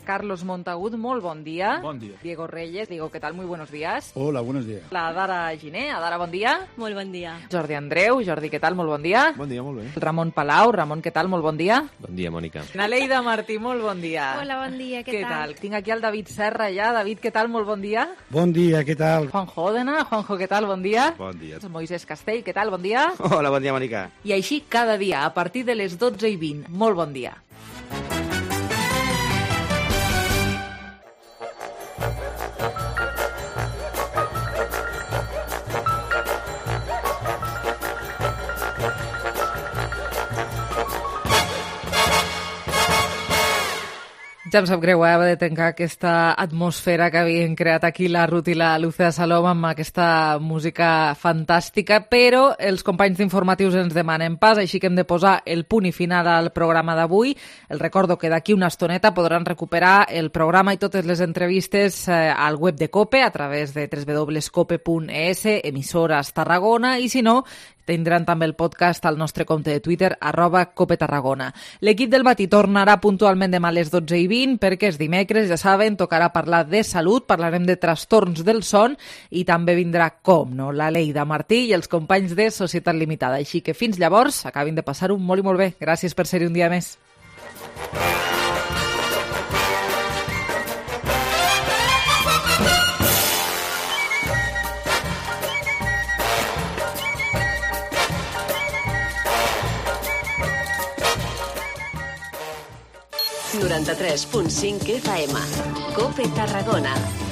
Carlos Montagut, molt bon dia. Bon dia. Diego Reyes, Diego, ¿qué tal? Muy buenos días. Hola, buenos días. La Dara Giné, Adara, bon dia. Molt bon dia. Jordi Andreu, Jordi, què tal? Molt bon dia. Bon dia, molt bé. Ramon Palau, Ramon, què tal? Molt bon dia. Bon dia, Mònica. Naleida Martí, molt bon dia. Hola, bon dia, què tal? Tinc aquí el David Serra ja. David, què tal? Molt bon dia. Bon dia, què tal? Juanjo Òdena, Juanjo, què tal? Bon dia. Bon dia. Moisés Castell, què tal? Bon dia. Hola, bon dia, Mònica. I així cada dia, a partir de les 12:20. Molt bon dia. Ja em sap greu haver de tancar aquesta atmosfera que havien creat aquí la Ruth i la Lucía Salom amb aquesta música fantàstica, però els companys d'informatius ens demanen pas, així que hem de posar el punt i final al programa d'avui. Els recordo que d'aquí una estoneta podran recuperar el programa i totes les entrevistes al web de COPE a través de www.cope.es, emissores Tarragona, i si no, tindran també el podcast al nostre compte de Twitter, @CopeTarragona. L'equip del matí tornarà puntualment demà a les 12:20 perquè és dimecres, ja saben, tocarà parlar de salut, parlarem de trastorns del son i també vindrà, com no, la Leida Martí i els companys de Societat Limitada. Així que fins llavors, acabin de passar-ho molt i molt bé. Gràcies per ser-hi un dia més. .93.5 FM. COPE Tarragona.